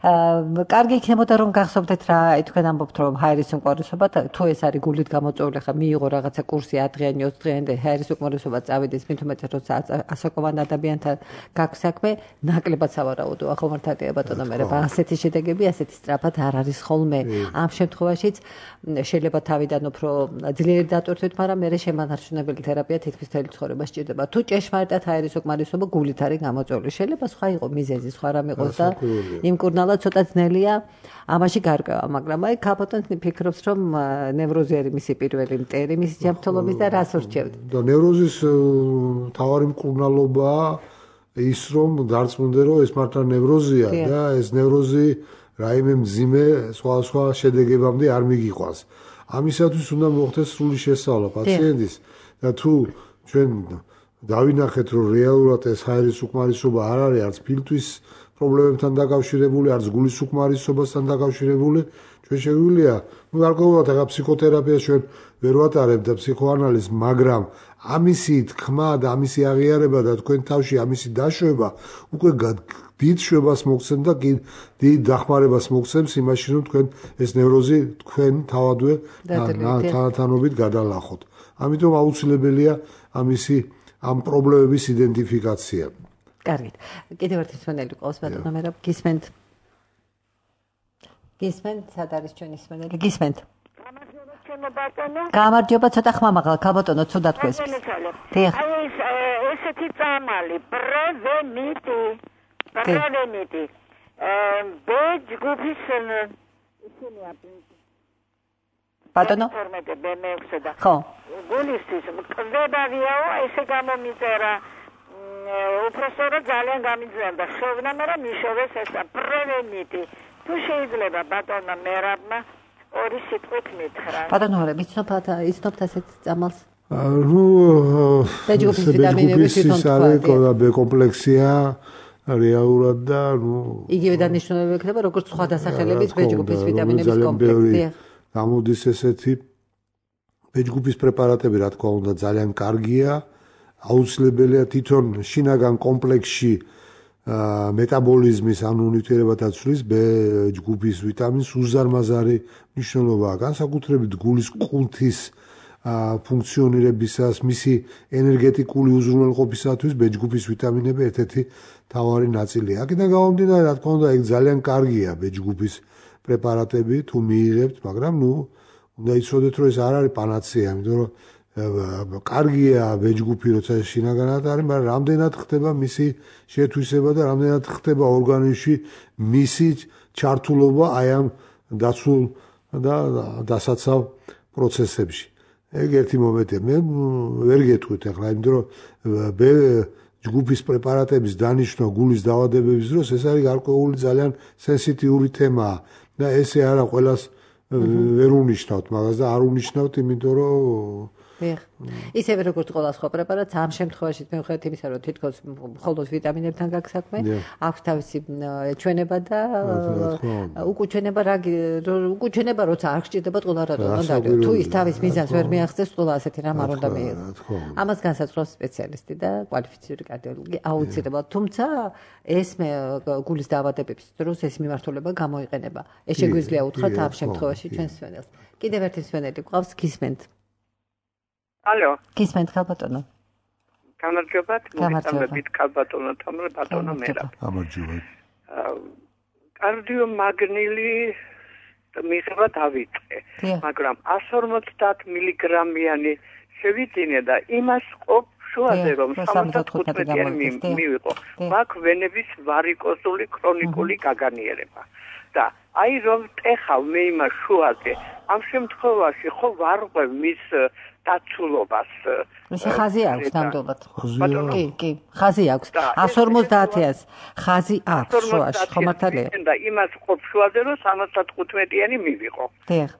აა კარგი იქნებოდა რომ გახსოვდეთ რა თქვენ ამბობთ რომ ჰაერის უკმარისობა თუ ეს არის გულით გამოწვეული ხა მიიღო რაღაცა კურსი ათ დღიანი ოცი დღიანი და ჰაერის უკმარისობა წავიდეს მით უმეტეს როცა ასაკოვან ადამიანთან გაქვს საქმე ნაკლებად სავარაუდოა ხო მართალია ბატონო მერაბ. ასეთი შედეგები ასეთი სწრაფად არ არის ხოლმე. ამ შემთხვევაშიც შეიძლება თავიდან უფრო ძლიერი დატვირთვით, მაგრამ მე შემანარჩუნებელი თერაპია თითქმის მთელი ცხოვრება სჭირდება. თუ ჭეშმარიტად ჰაერის უკმარისობა გულით არის გამოწვეული, შეიძლება სხვა იყო მიზეზი, სხვა რამ იყოს და იმ კურნალად ცოტა ძნელია ამაში გარკვევა, მაგრამ აი ქალბატონი ფიქრობს რომ ნევროზი არის მისი პირველი მტერი მისი ჯანმრთელობის და რას ურჩევთ? და ნევროზის მთავარი მკურნალობა ის რომ დარწმუნდე რომ ეს მართლა ნევროზია და ეს ნევროზი რაიმე მძიმე სხვა სხვა შედეგებამდე არ მიგიყვანს. ამისათვის უნდა მოხდეს სრული შესწავლა პაციენტის და თუ ჩვენ დავინახეთ რომ რეალურად ეს ჰაერის უკმარისობა არ არის არც ფილტვის პრობლემებთან დაკავშირებული, არც გულის უკმარისობასთან დაკავშირებული, ჩვენ შეგვიძლია, ну გარკვეულად ახლა ფსიქოთერაპიას ჩვენ ვერ ვატარებთ და ფსიქოანალიზს, მაგრამ ამისი თქმა და ამისი აღიარება და თქვენ თავში ამისი დაშვება უკვე დიდ შვებას მოგცემ და დიდ დახმარებას მოგცემს იმაში, რომ თქვენ ეს ნევროზი თქვენ თავადვე თანათანობით გადალახოთ. ამიტომ აუცილებელია ამისი ამ პრობლემების იდენტიფიკაცია. კარგით. კიდევ ერთი მსმენელი ყავს ბატონო მერაბ, გისმენთ? გისმენთ, სად არის ჩვენი მსმენელი? გისმენთ? გამარჯობა ჩემო ბატონო. გამარჯობა, ცოტა ხმამაღლა, ქალბატონო, ცუდად თქვენს. დიახ. აი ეს ესეთი წამალი, პრევენიტი. პრევენიტი. ბ ჯგუფის ისინია ბატონო? ხო. გულისთვის კდებადიაო, ესე გამომიწერა. უბრალოდ ძალიან გამიძვენდა შოვნა, მაგრამ მიშოვეს ეს პრევენიტი. თუ შეიძლება ბატონო მერაბმა ორი სიტყვით მითხრა. ბატონო რა ვიცნობთ იცნობთ ასეთ წამალს? ნუ ბეჯგუფის ვიტამინების თვითონ თქვა. ბ კომპლექსია რეალურად და ნუ იგივე დანიშნულება ექნება როგორც სხვა დასახელების ბეჯგუფის ვიტამინების კომპლექსი. გამოდის ესეთი ბეჯგუფის პრეპარატები რა თქმა უნდა ძალიან კარგია. აუცილებელია თვითონ შინაგან კომპლექსში მეტაბოლიზმის ან უნივთიერებათა ცვლის ბ ჯგუფის ვიტამინს უზარმაზარი მნიშვნელობაა, განსაკუთრებით გულის კუნთის ფუნქციონირებისას, მისი ენერგეტიკული უზრუნველყოფისათვის ბ ჯგუფის ვიტამინები ერთ-ერთი მთავარი ნაწილია. აქედან გამომდინარე, რა თქმა უნდა, ეგ ძალიან კარგია ბ ჯგუფის პრეპარატები თუ მიიღებთ, მაგრამ ნუ უნდა იცოდეთ, რომ ეს არ არის პანაცეა, იმიტომ რომ კარგია ბ ჯგუფი როცა შინაგანად არის, მაგრამ რამდენად ხდება მისი შეთვისება და რამდენად ხდება ორგანიზმში მისი ჩართულობა აი ამ დაცულ და დასაცავ პროცესებში. ეგ ერთი მომენტია. მე ვერ გეტყვით ახლა, იმიტომ რომ ბ ჯგუფის პრეპარატების დანიშნვა გულის დაავადებების დროს ეს არის გარკვეული ძალიან სენსიტიური თემაა და ესე არა ყველას ვერ უნიშნავთ მაგას და არ უნიშნავთ, იმიტომ რომ ისევე როგორც ყველა სხვა პრეპარატს, ამ შემთხვევაში მიუხედავად იმისა, რომ თითქოს მხოლოდ ვიტამინებთან გაქვს საქმე, აქვს თავისი ჩვენება და უკუჩვენება რა უკუჩვენება როცა არ გჭირდებათ ყველა რატო უნდა თუ ის თავის მიზანს ვერ მიაღწევს, ყველა ასეთი რამ არ უნდა მიიღოს. ამას განსაზღვრავს სპეციალისტი და კვალიფიციური კარდიოლოგი აუცილებლად. თუმცა ეს გულის დაავადებების დროს ეს მიმართულება გამოიყენება. ეს შეგვიძლია უთხრათ ამ შემთხვევაში ჩვენს სვენელს. კიდევ ერთი სვენელი გვყავს, გისმენთ. ალო. გისმენთ ხალბატონო. გამარჯობათ, მოგესალმებით ხალბატონო, თამარ ბატონო მერაბ. გამარჯობა. კარდიომაგნილი მიღება დავიწყე, მაგრამ εκατს ორმოცდაათ მილიგრამიანი შევიძინე და იმას ყოფ შუაზე რომ სამოცდათხუთმეტიანი მივიყო. მაქვს ვენების ვარიკოზული ქრონიკული გაგანიერება. და აი რომ ტეხავ მე იმას შუაზე, ამ შემთხვევაში ხო ვარ ყვევ მის დაცულობას. ეს ხაზი აქვს ნამდვილად. კი, კი, ხაზი აქვს. εκατს ორმოცდაათს ხაზი აქვს შუაში, ხო მართალია? და იმას ყოფ შუაზე რომ სამოცდათხუთმეტიანი მივიყო.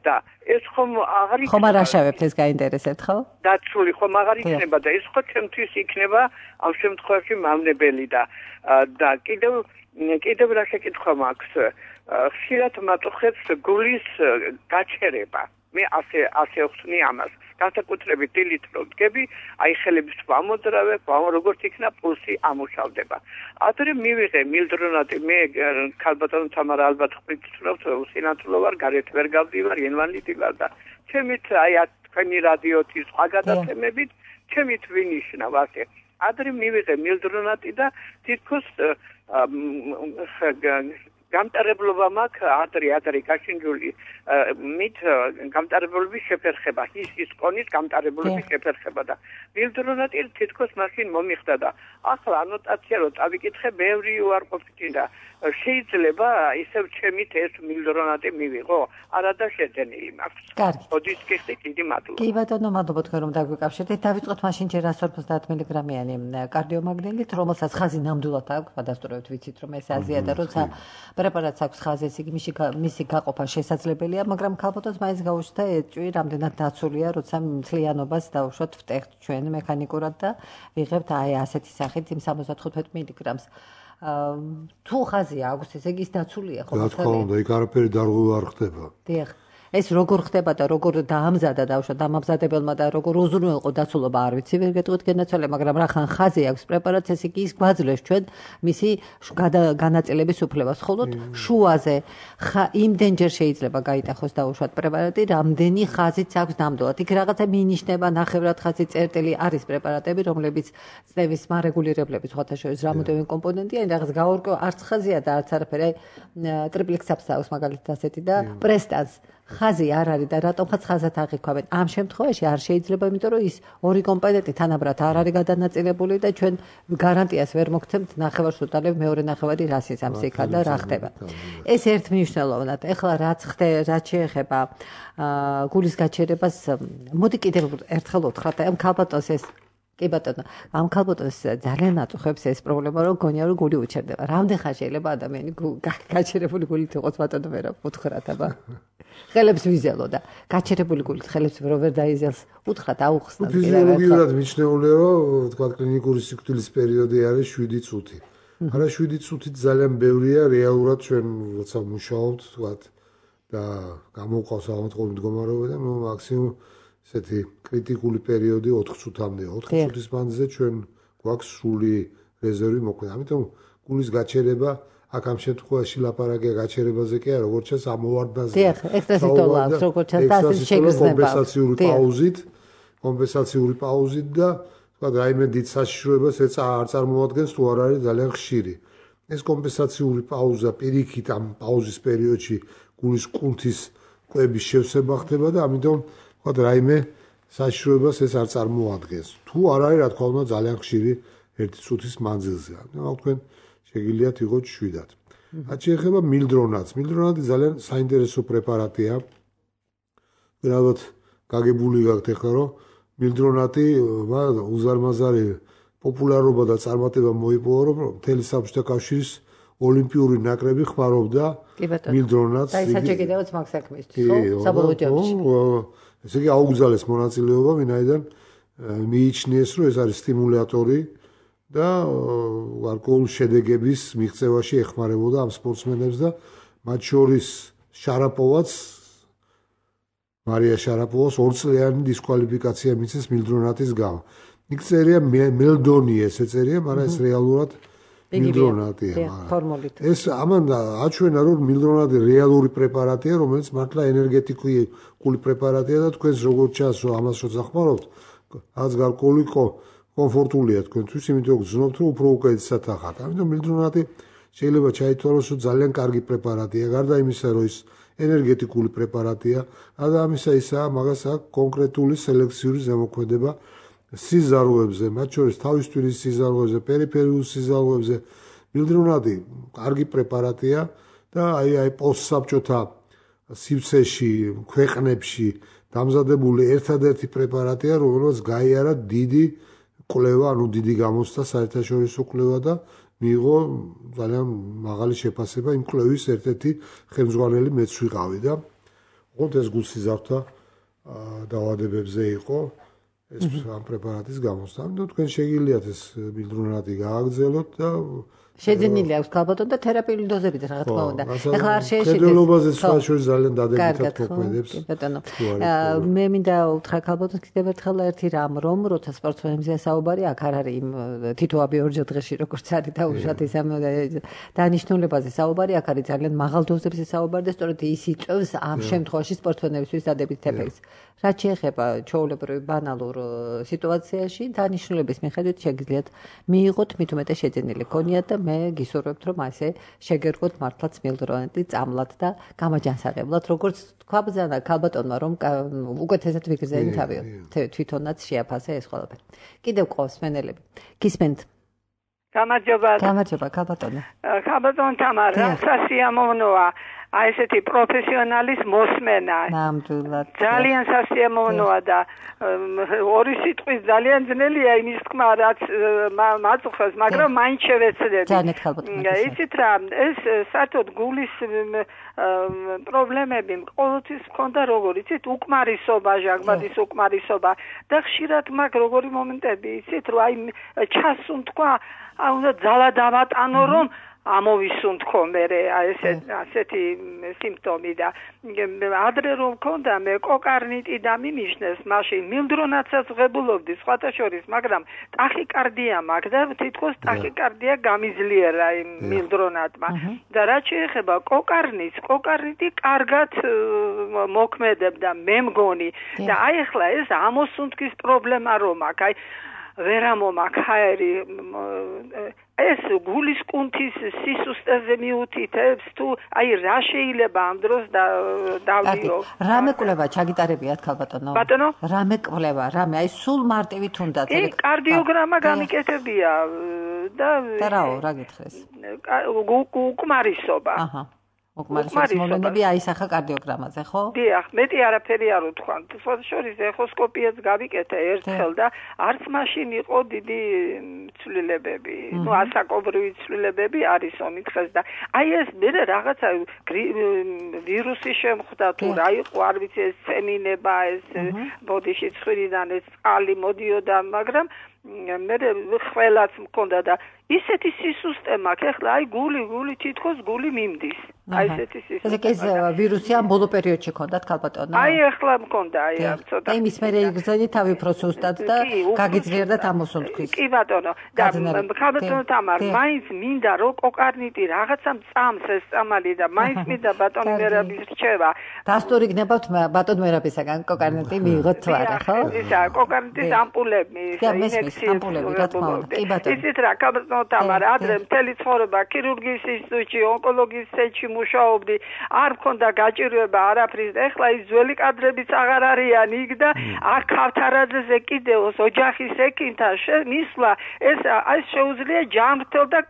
და ეს ხომ აღარ იქნება. ხომ არ აშავებთ ეს გაინტერესებთ, ხო? დაცული ხომ აღარ იქნება და ეს ხო ჩემთვის იქნება ამ შემთხვევაში მავნებელი და და კიდევ კიდევ რა შეკითხვა მაქვს? ხშირად მაწუხებს გულის გაჩერება. მე ასე ასე ვხსნი ამას. განსაკუთრებით დილით რო ვდგები, აი ხელებს ვამოძრავებ, როგორც იქნა პულსი ამუშავდება. ადრე მივიღე მილდრონატი, მე ხალბატონო თამარა ალბათ ხვიცნობთ, სინათლო ვარ, გარეთ ვერ გავდივარ, ინვალიდი ვარ და ჩემით აი თქვენი რადიოთი სხვა გადაცემებით, ჩემით ვინიშნავ ასე. ადრე მივიღე მილდრონატი და თითქოს გამტარებლობა მაქვს ადრე ადრე გაშინჯული მით გამტარებლობის შეფერხება ის ის კონის გამტარებლობის შეფერხება და მილდრონატი თითქოს მაშინ მომიხდა და ახლა ანოტაცია რო წავიკითხე ბევრი უარყოფითი და შეიძლება ისევ ჩემით ეს მილდრონატი მივიღო არადა შეძენილი მაქვს. კარგი. ოდის კიხდი დიდი მადლობა. კი ბატონო, მადლობა თქვენ რომ დაგვიკავშირდით. დავიწყოთ მაშინ ჯერ εκατს ორმოცდაათ მილიგრამიანი კარდიომაგნილით, რომელსაც ხაზი ნამდვილად აქვს, გადასტურებთ ვიცით რომ ეს აზია და როცა პრეპარატს აქვს ხაზი, ეს იგი მისი გაყოფა შესაძლებელია, მაგრამ ქალბატონს მაინც გაუჩნდა ეჭვი, რამდენად დაცულია, როცა მთლიანობას დავუშვათ ვტეხთ ჩვენ მექანიკურად და ვიღებთ აი ასეთი სახით იმ სამოცდათხუთმეტ მილიგრამს. თუ ხაზი აქვს, ესე იგი ის დაცულია ხო? რა თქმა უნდა, იქ არაფერი დარღვევა არ ხდება. დიახ. ეს როგორ ხდება და როგორ დაამზადა დავუშვათ დამამზადებელმა და როგორ უზრუნველყო დაცულობა არ ვიცი, ვერ გეტყვით გენაცვალე, მაგრამ რახან ხაზი აქვს პრეპარატს, ესე იგი ის გვაძლევს ჩვენ მისი განაწილების უფლებას. ხოლო შუაზე იმდენჯერ შეიძლება გაიტახოს დავუშვათ პრეპარატი, რამდენი ხაზიც აქვს ნამდვილად. იქ რაღაცა მინიშნება, ნახევრად ხაზი, წერტილი არის პრეპარატები, რომლებიც წნევის მარეგულირებლების სხვათა შორის რამოდენიმე კომპონენტია, რაღაც გაურკვევ არც ხაზია და არც არაფერი, ტრიპლექსაპს აქვს მაგალითად ასეთი და პრესტანს ხაზი არ არის და რატომღაც ხაზად აღიქვამენ. ამ შემთხვევაში არ შეიძლება, იმიტომ რომ ის ორი კომპონენტი თანაბრად არ არის გადანაწილებული და ჩვენ გარანტიას ვერ მოგცემთ ნახევარს უტალებ მეორე ნახევარი რას იცავს იქა და რა ხდება. ეს ერთმნიშვნელოვნად. ეხლა რაც ხდება, რაც შეეხება გულის გაჩერებას, მოდი კიდევ ერთხელ უთხრათ, ამ ქალბატონს ეს კი ბატონო, ამ ქალბატონს ძალიან აწუხებს ეს პრობლემა, რომ გონია რომ გული უჩერდება. რამდენ ხანი შეიძლება ადამიანი გაჩერებული გულით იყოს ბატონო მე რა უთხრათ აბა. ხელებს ვიზელო და გაჩერებული გულით ხელებს რო ვერ დაიზელს, უთხრათ აუხსნათ. ფიზიოლოგიურად მიჩნეულია, რომ თქვა კლინიკური სიკვდილის პერიოდი არის შვიდი წუთი. არა შვიდი წუთით ძალიან ბევრია რეალურად ჩვენ როცა მუშაობთ, თქვა და გამოყავს ავადმყოფი მდგომარეობა და ნუ მაქსიმუმ ესეთი კრიტიკული პერიოდი ოთხ წუთამდე. ოთხ წუთის მანძილზე ჩვენ გვაქვს სრული რეზერვი მოქმედ. ამიტომ გულის გაჩერება აქ ამ შემთხვევაში ლაპარაკია გაჩერებაზე კი არა, როგორც ჩანს ამოვარდნაზე. დიახ, ექსტრასიტოლა აქვს, როგორც ჩანს და ასე შეგრძნება. კომპენსაციური პაუზით, კომპენსაციური პაუზით და თქვა რაიმე დიდ საშიშროებას ეც არ წარმოადგენს თუ არ არის ძალიან ხშირი. ეს კომპენსაციური პაუზა პირიქით ამ პაუზის პერიოდში გულის კუნთის კვების შევსება ხდება და ამიტომ თქვა რაიმე საშიშროებას ეს არ წარმოადგენს. თუ არ არის, რა თქმა უნდა, ძალიან ხშირი ერთი წუთის მანძილზე. ანუ თქვენ შეგიძლიათ იყოთ შვიდად. რაც შეეხება მილდრონატს, მილდრონატი ძალიან საინტერესო პრეპარატია. ალბათ გაგებული გაქვთ ახლა, რომ მილდრონატი უზარმაზარი პოპულარობა და წარმატება მოიპოვა, რომ მთელი საბჭოთა კავშირის ოლიმპიური ნაკრები ხმარობდა მილდრონატს. და ის საჭიროებაც მაგ საქმისთვის, ხო? საბოლოო ჯამში. ესე იგი აუგზალეს მონაწილეობა, ვინაიდან მიიჩნიეს, რომ ეს არის სტიმულატორი და გარკვეულ შედეგების მიღწევაში ეხმარებოდა ამ სპორტსმენებს და მათ შორის შარაპოვაც მარია შარაპოვას ორწლიანი დისკვალიფიკაცია მისცეს მილდრონატის გამო. იქ წერია მელდონი ესე წერია, მაგრამ ეს რეალურად მილდრონატია. ეს ამან აჩვენა, რომ მილდრონატი რეალური პრეპარატია, რომელიც მართლა ენერგეტიკული პრეპარატია და თქვენს როგორც ჩანს, რომ ამას შეხმარობთ, რაც გარკვეული კომფორტულია თქვენთვის, იმიტომ რომ გძნობთ, რომ უფრო უკეთესად ახართ. ამიტომ მილდრონატი შეიძლება ჩაითვალოს, რომ ძალიან კარგი პრეპარატია, გარდა იმისა, რომ ის ენერგეტიკული პრეპარატია, და ამისა ისაა, მაგას აქვს კონკრეტული სელექციური ზემოქმედება სიზარღვებზე, მათ შორის თავის თვლის სიზარღვებზე, პერიფერიულ სიზარღვებზე. მილდრონატი კარგი პრეპარატია და აი აი პოსტსაბჭოთა სივრცეში, ქვეყნებში დამზადებული ერთადერთი პრეპარატია, რომელსაც გაიარა დიდი კვლევა, ანუ დიდი გამოცდა საერთაშორისო კვლევა და მიიღო ძალიან მაღალი შეფასება იმ კვლევის ერთ-ერთი ხელმძღვანელი მეც ვიყავი და ოღონდ ეს გულსიზართა დაავადებებზე იყო ეს ამ პრეპარატის გამოცდა. და თქვენ შეგიძლიათ ეს მილდრონატი გააგრძელოთ და შეძენილი აქვს ქალბატონ და თერაპიული დოზებით რა თქმა უნდა. ეხლა არ შეეშინდეს. კედელობაზე სხვა შორის ძალიან დადებითად მოქმედებს. ბატონო. მე მინდა უთხრა ქალბატონს კიდევ ერთხელ ერთი რამ, რომ როცა სპორტსმენებზე საუბარი აქ არ არის იმ თითოაბი ორჯერ დღეში როგორც არის და უშუალოდ ის ამ დანიშნულებაზე საუბარი აქ არის ძალიან მაღალ დოზებზე საუბარი და სწორედ ის იწვევს ამ შემთხვევაში სპორტსმენებისთვის დადებითი ეფექტს. რაც შეეხება ჩვეულებრივ ბანალურ სიტუაციაში დანიშნულების მიხედვით შეგიძლიათ მიიღოთ მით უმეტეს შეძენილი ქონიათ და მე გისურვებთ რომ ასე შეგერგოთ მართლაც მილდრონატი წამლად და გამაჯანსაღებლად როგორც თქვა ბრძანა ქალბატონმა რომ უკეთესად ვიგრძენი თავი თვითონაც შეაფასე ეს ყველაფერი. კიდევ ყავს მენელები. გისმენთ? გამარჯობა. გამარჯობა ქალბატონო. ქალბატონ თამარა, სასიამოვნოა. აი ესეთი პროფესიონალის მოსმენა. ნამდვილად. ძალიან სასიამოვნოა და ორი სიტყვის ძალიან ძნელია იმის თქმა, რაც მაწუხებს, მაგრამ მაინც შევეცდები. ძალიან ქალბატონო. იცით რა, ეს საერთოდ გულის პრობლემები ყოველთვის მქონდა როგორ, იცით, უკმარისობა, ჟანგბადის უკმარისობა და ხშირად მაგ როგორი მომენტები, იცით, რომ აი ჩასუნთქვა, აი უნდა ძალა დავატანო, რომ ამოვისუნთქო მე ესე ასეთი სიმპტომი და ადრე რომ მქონდა მე კოკარნიტი და მიმიშნეს მაშინ მილდრონატსაც ვღებულობდი სხვათა შორის მაგრამ ტახიკარდია მაქვს და თითქოს ტახიკარდია გამიძლიერა იმ მილდრონატმა და რაც შეეხება კოკარნიტს კოკარნიტი კარგად მოქმედებდა მე მგონი და აი ახლა ეს ამოსუნთქის პრობლემა რომ აქვს აი ვერა მომაქაერი ეს გულის კუნთის სისუსტეზე მიუთითებს თუ აი რა შეიძლება ამ დროს დავდიო რა მეკვლევა ჩაგიტარებიათ ქალბატონო ბატონო რა მეკვლევა რამე აი სულ მარტივით უნდა წერე კარდიოგრამა გამიკეთებია და და რაო რა გითხეს უკმარისობა აჰა უკმარისობის მოვლენები აისახა კარდიოგრამაზე, ხო? დიახ, მეტი არაფერი არ უთქვან. შორის ეხოსკოპიაც გავიკეთე ერთხელ და არც მაშინ იყო დიდი ცვლილებები. ნუ ასაკობრივი ცვლილებები არის ომითხეს და აი ეს მე რაღაცა ვირუსი შემხვდა თუ რა იყო, არ ვიცი ეს წემინება, ეს ბოდიში ცხვირიდან ეს წყალი მოდიოდა, მაგრამ მე ყველაც მქონდა და ისეთი სისუსტე მაქვს, ეხლა აი გული, გული თითქოს გული მიმდის. აი ესეთი სისუსტე. ეს ვირუსი ამ ბოლო პერიოდში ქონდათ ქალბატონო? აი ეხლა მქონდა, აი ამ ცოტა. და იმის მერე იგრძენი თავი უფრო სუსტად და გაგიძლიერდა ამოსუნთქვის. კი ბატონო, და ქალბატონო თამარ, მაინც მინდა რომ კოკარნიტი რაღაცა წამს ეს წამალი და მაინც მინდა ბატონი მერაბის რჩევა. დასტური გნებავთ ბატონ მერაბისაგან კოკარნიტი მიიღოთ თუ არა, ხო? ისა, კოკარნიტის ამპულები, ინექციის ამპულები, რა თქმა უნდა. კი ბატონო. იცით რა, ქალბატონო თამარ, ადრე მთელი ცხოვრება ქირურგიის ინსტიტუტში, ონკოლოგიის ცენტრში მუშაობდი, არ მქონდა გაჭირვება არაფრის, ეხლა ის ძველი კადრებიც აღარ არიან იქ და აქ ქავთარაძეზე კიდევ ოჯახის ექიმთან მისვლა, ეს ეს შეუძლია ჯანმრთელ და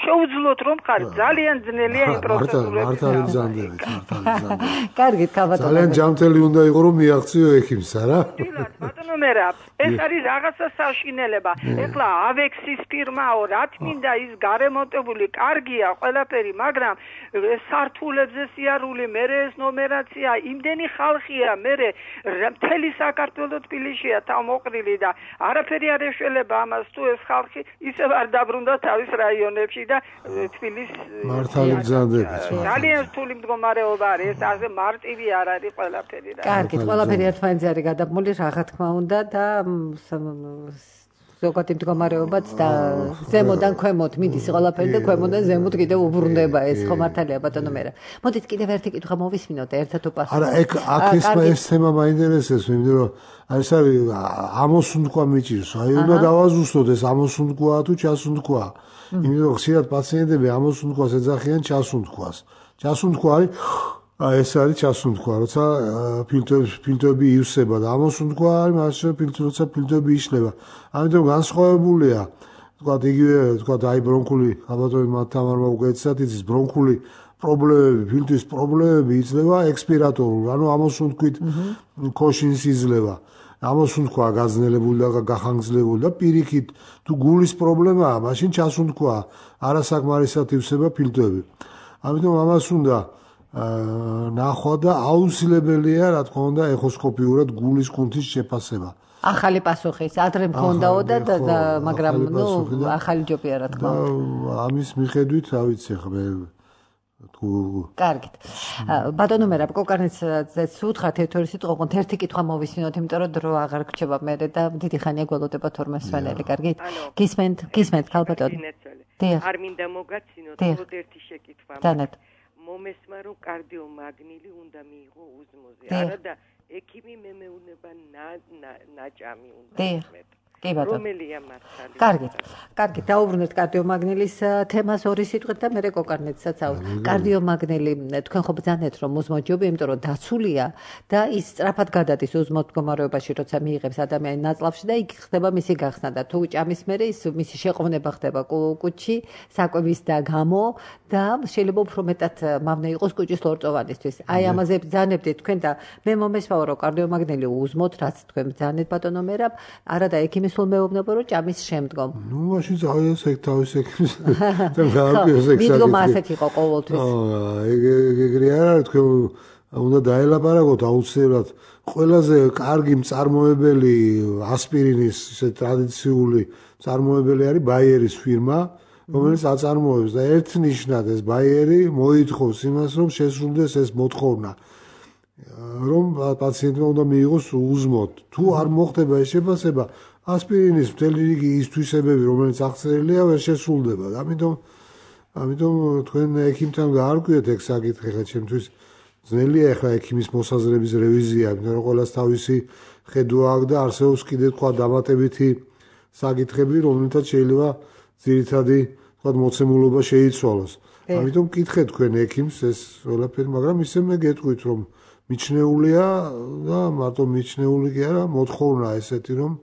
შეუძლოთ რომ ხარ ძალიან ძნელია იმ პროცედურები. მართალი ბრძანდებით, მართალი ბრძანდებით. კარგით, ქალბატონო. ძალიან ჯანმრთელი უნდა იყო რომ მიაღწიო ექიმს, არა? ბატონო მერაბ, ეს არის რაღაცა საშინელება. ეხლა ავექსის ფირმაო რა თმინდა ის გარემონტებული კარგია ყველაფერი, მაგრამ სართულებზე სიარული, მერე ეს ნომერაცია, იმდენი ხალხია, მერე მთელი საქართველო თბილისშია თავმოყრილი და არაფერი არ ეშველება ამას თუ ეს ხალხი ისევ არ დაბრუნდა თავის რაიონებში და თბილის მართალი გზანდებით. ძალიან რთული მდგომარეობა არის, ეს ასე მარტივი არ არის ყველაფერი რა. კარგით, ყველაფერი ერთმანეთზე არის გადაბმული, რა თქმა უნდა და ზოგადი მდგომარეობაც და ზემოდან ქვემოთ მიდის ყველაფერი და ქვემოდან ზემოთ კიდევ უბრუნდება ეს ხო მართალია ბატონო მერაბ. მოდით კიდევ ერთი კითხვა მოვისმინოთ ერთად უპასუხოთ. არა, ეგ აქ ეს თემა მაინტერესებს, იმიტომ რომ ეს არის ამოსუნთქვა მიჭირს. აი უნდა დავაზუსტოთ ეს ამოსუნთქვა თუ ჩასუნთქვა. იმიტომ რომ ხშირად პაციენტები ამოსუნთქვას ეძახიან ჩასუნთქვას. ჩასუნთქვა არის აი ეს არის ჩასუნთქვა, როცა ფილტრები ფილტრები ივსება და ამოსუნთქვა არის მაშინ ფილტრი როცა ფილტრები იშლება. ამიტომ განსხვავებულია, თქვა იგივე თქვა აი ბრონქული, ალბათ თამარმა უკვე ეცათ იცის ბრონქული პრობლემები, ფილტვის პრობლემები იძლევა ექსპირატორულ, ანუ ამოსუნთქვით ქოშინს იძლევა. ამოსუნთქვა გაძნელებული და გახანგრძლივებული და პირიქით თუ გულის პრობლემაა, მაშინ ჩასუნთქვა არასაკმარისად ივსება ფილტრები. ამიტომ ამას უნდა ნახვა და აუცილებელია, რა თქმა უნდა, ეხოსკოპიურად გულის კუნთის შეფასება. ახალი პასუხის, ადრე მქონდაო და მაგრამ ნუ ახალი ჯობია, რა თქმა უნდა. ამის მიხედვით, რა ვიცი ხე თუ კარგით. ბატონო მერაბ, კოკარნიცაძეც უთხრათ ერთ-ორი სიტყვა, ოღონდ ერთი კითხვა მოვისმინოთ, იმიტომ რომ დრო აღარ გრჩება მე და დიდი ხანია გველოდება თორმე სვენელი, კარგით? გისმენთ, გისმენთ, ხალბატონო. არ მინდა მოგაცინოთ, მხოლოდ ერთი შეკითხვა. დანეთ. მომესმა რომ კარდიომაგნილი უნდა მიიღო უზმოზე. არა და ექიმი მემეუნება ნაჭამი უნდა მეთქვა. კი ბატონო. რომელია მართალი? კარგით. კარგით, დაუბრუნდეთ კარდიომაგნილის თემას ორი სიტყვით და მე კოკარნეთსაც აუთ. კარდიომაგნილი თქვენ ხო ბრძანეთ რომ უზმოჯობი, იმიტომ რომ დაცულია და ის სწრაფად გადადის უზმოდ მდგომარეობაში, როცა მიიღებს ადამიანი ნაწლავში და იქ ხდება მისი გახსნა და თუ ჭამის მერე ის მისი შეყოვნება ხდება კუჭი, საკვების და გამო და შეიძლება უფრო მეტად მავნე იყოს კუჭის ლორწოვანისთვის. აი ამაზე ბრძანებდით თქვენ და მე მომესმავა რომ კარდიომაგნილი უზმოდ, რაც თქვენ ბრძანეთ ბატონო მერაბ, არა და ექიმი სულ მეუბნება რომ ჭამის შემდგომ. ნუ მაშინ წავიდეს ეგ თავის ექიმს. თან გააკეთოს ეგ. მიდგომ ასეთ იყო ყოველთვის. აა ეგ ეგრე არ არის თქვენ უნდა დაელაპარაკოთ აუცილებლად ყველაზე კარგი მწარმოებელი ასპირინის ესე ტრადიციული მწარმოებელი არის ბაიერის ფირმა, რომელიც აწარმოებს და ერთნიშნად ეს ბაიერი მოითხოვს იმას რომ შესრულდეს ეს მოთხოვნა. რომ პაციენტმა უნდა მიიღოს უზმოდ. თუ არ მოხდება ეს შეფასება, ასპირინის მთელი რიგი ის თვისებები, რომელიც აღწერილია, ვერ შესრულდება. ამიტომ ამიტომ თქვენ ექიმთან გაარკვიეთ ეგ საკითხი, ხა ჩემთვის ძნელია ახლა ექიმის მოსაზრების რევიზია, იმიტომ რომ ყველას თავისი ხედვა აქვს და არსებობს კიდე თქვა დამატებითი საკითხები, რომელთაც შეიძლება ძირითადი თქვა მოცემულობა შეიცვალოს. ამიტომ კითხეთ თქვენ ექიმს ეს ყველაფერი, მაგრამ ისე მე გეტყვით რომ მიჩნეულია და მარტო მიჩნეული კი არა, მოთხოვნა ესეთი რომ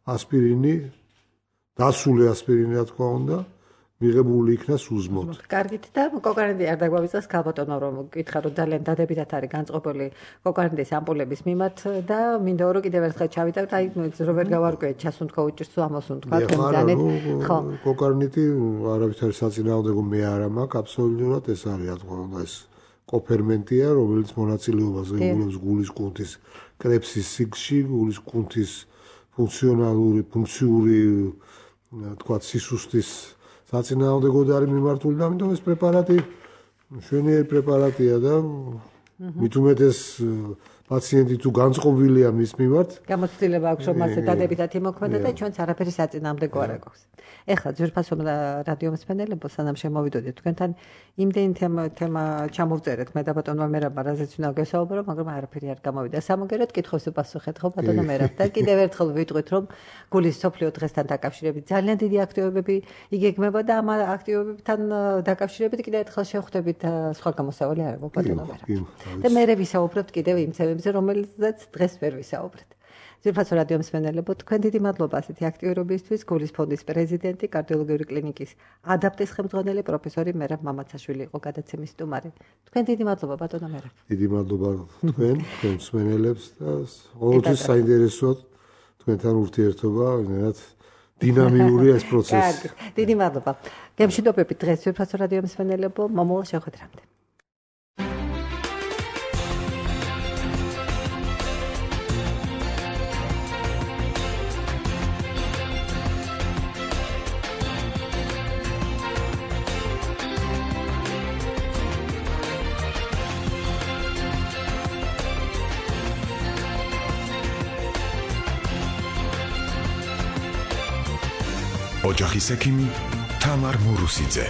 ასპირინი, დასული ასპირინი რა თქმა უნდა, მიღებული იქნას უზმოდ. კარგით და კოკარნიდი არ დაგვავიწყოს ქალბატონო რომ გითხრა რომ ძალიან დადებითად არის განწყობილი კოკარნიდის ამპულების მიმართ და მინდა რომ კიდევ ერთხელ ჩავიტაროთ, აი რო ვერ გავარკვიეთ ჩასუნთქვა უჭირს თუ ამოსუნთქვა თქვენ ბრძანეთ. ხო, კოკარნიდი არავითარი საწინააღმდეგო მე არ მაქვს აბსოლუტურად, ეს არის რა თქმა უნდა ეს კოფერმენტია, რომელიც მონაწილეობას იღებს გულის კუნთის კრეფსის სიგში, გულის კუნთის ფუნქციონალური, ფუნქციური თქვა სისუსტის საწინააღმდეგოდ არის მიმართული და ამიტომ ეს პრეპარატი მშვენიერი პრეპარატია და მით უმეტეს პაციენტი თუ განწყობილია მის მიმართ, გამოცდილება აქვს რომ მასე დადებითად იმოქმედა და ჩვენც არაფერი საწინააღმდეგო არ აქვს. ეხლა ძვირფასო რადიო მსმენელებო, სანამ შემოვიდოდეთ თქვენთან, იმდენი თემა ჩამოვწერეთ მე და ბატონმა მერაბმა, რაზეც უნდა გესაუბრო, მაგრამ არაფერი არ გამოვიდა. სამოგეროდ კითხვებს უპასუხეთ ხო ბატონო მერაბ და კიდევ ერთხელ ვიტყვით რომ გულის სოფლიო დღესთან დაკავშირებით ძალიან დიდი აქტივობები იგეგმება და ამ აქტივობებთან დაკავშირებით კიდევ ერთხელ შევხვდებით სხვა გამოსავალი არ აქვს ბატონო მერაბ. და მე ვისაუბრებთ კიდევ იმ თემებზე, რომელზეც დღეს ვერ ვისაუბრეთ. ძვირფასო რადიო მსმენელებო, თქვენ დიდი მადლობა ასეთი აქტივობისთვის. გულის ფონდის პრეზიდენტი, კარდიოლოგიური კლინიკის ადაპტის ხელმძღვანელი პროფესორი მერაბ მამაცაშვილი იყო გადაცემის სტუმარი. თქვენ დიდი მადლობა ბატონო მერაბ. დიდი მადლობა თქვენ, თქვენ მსმენელებს და ყოველთვის საინტერესოა თქვენთან ურთიერთობა, ვინმე დინამიურია ეს პროცესი. დიდი მადლობა. გემშვიდობებით დღეს ვიფასო რადიო მსმენელებო, მომავალ შეხვედრამდე. ოჯახის ექიმი თამარ მურუსიძე.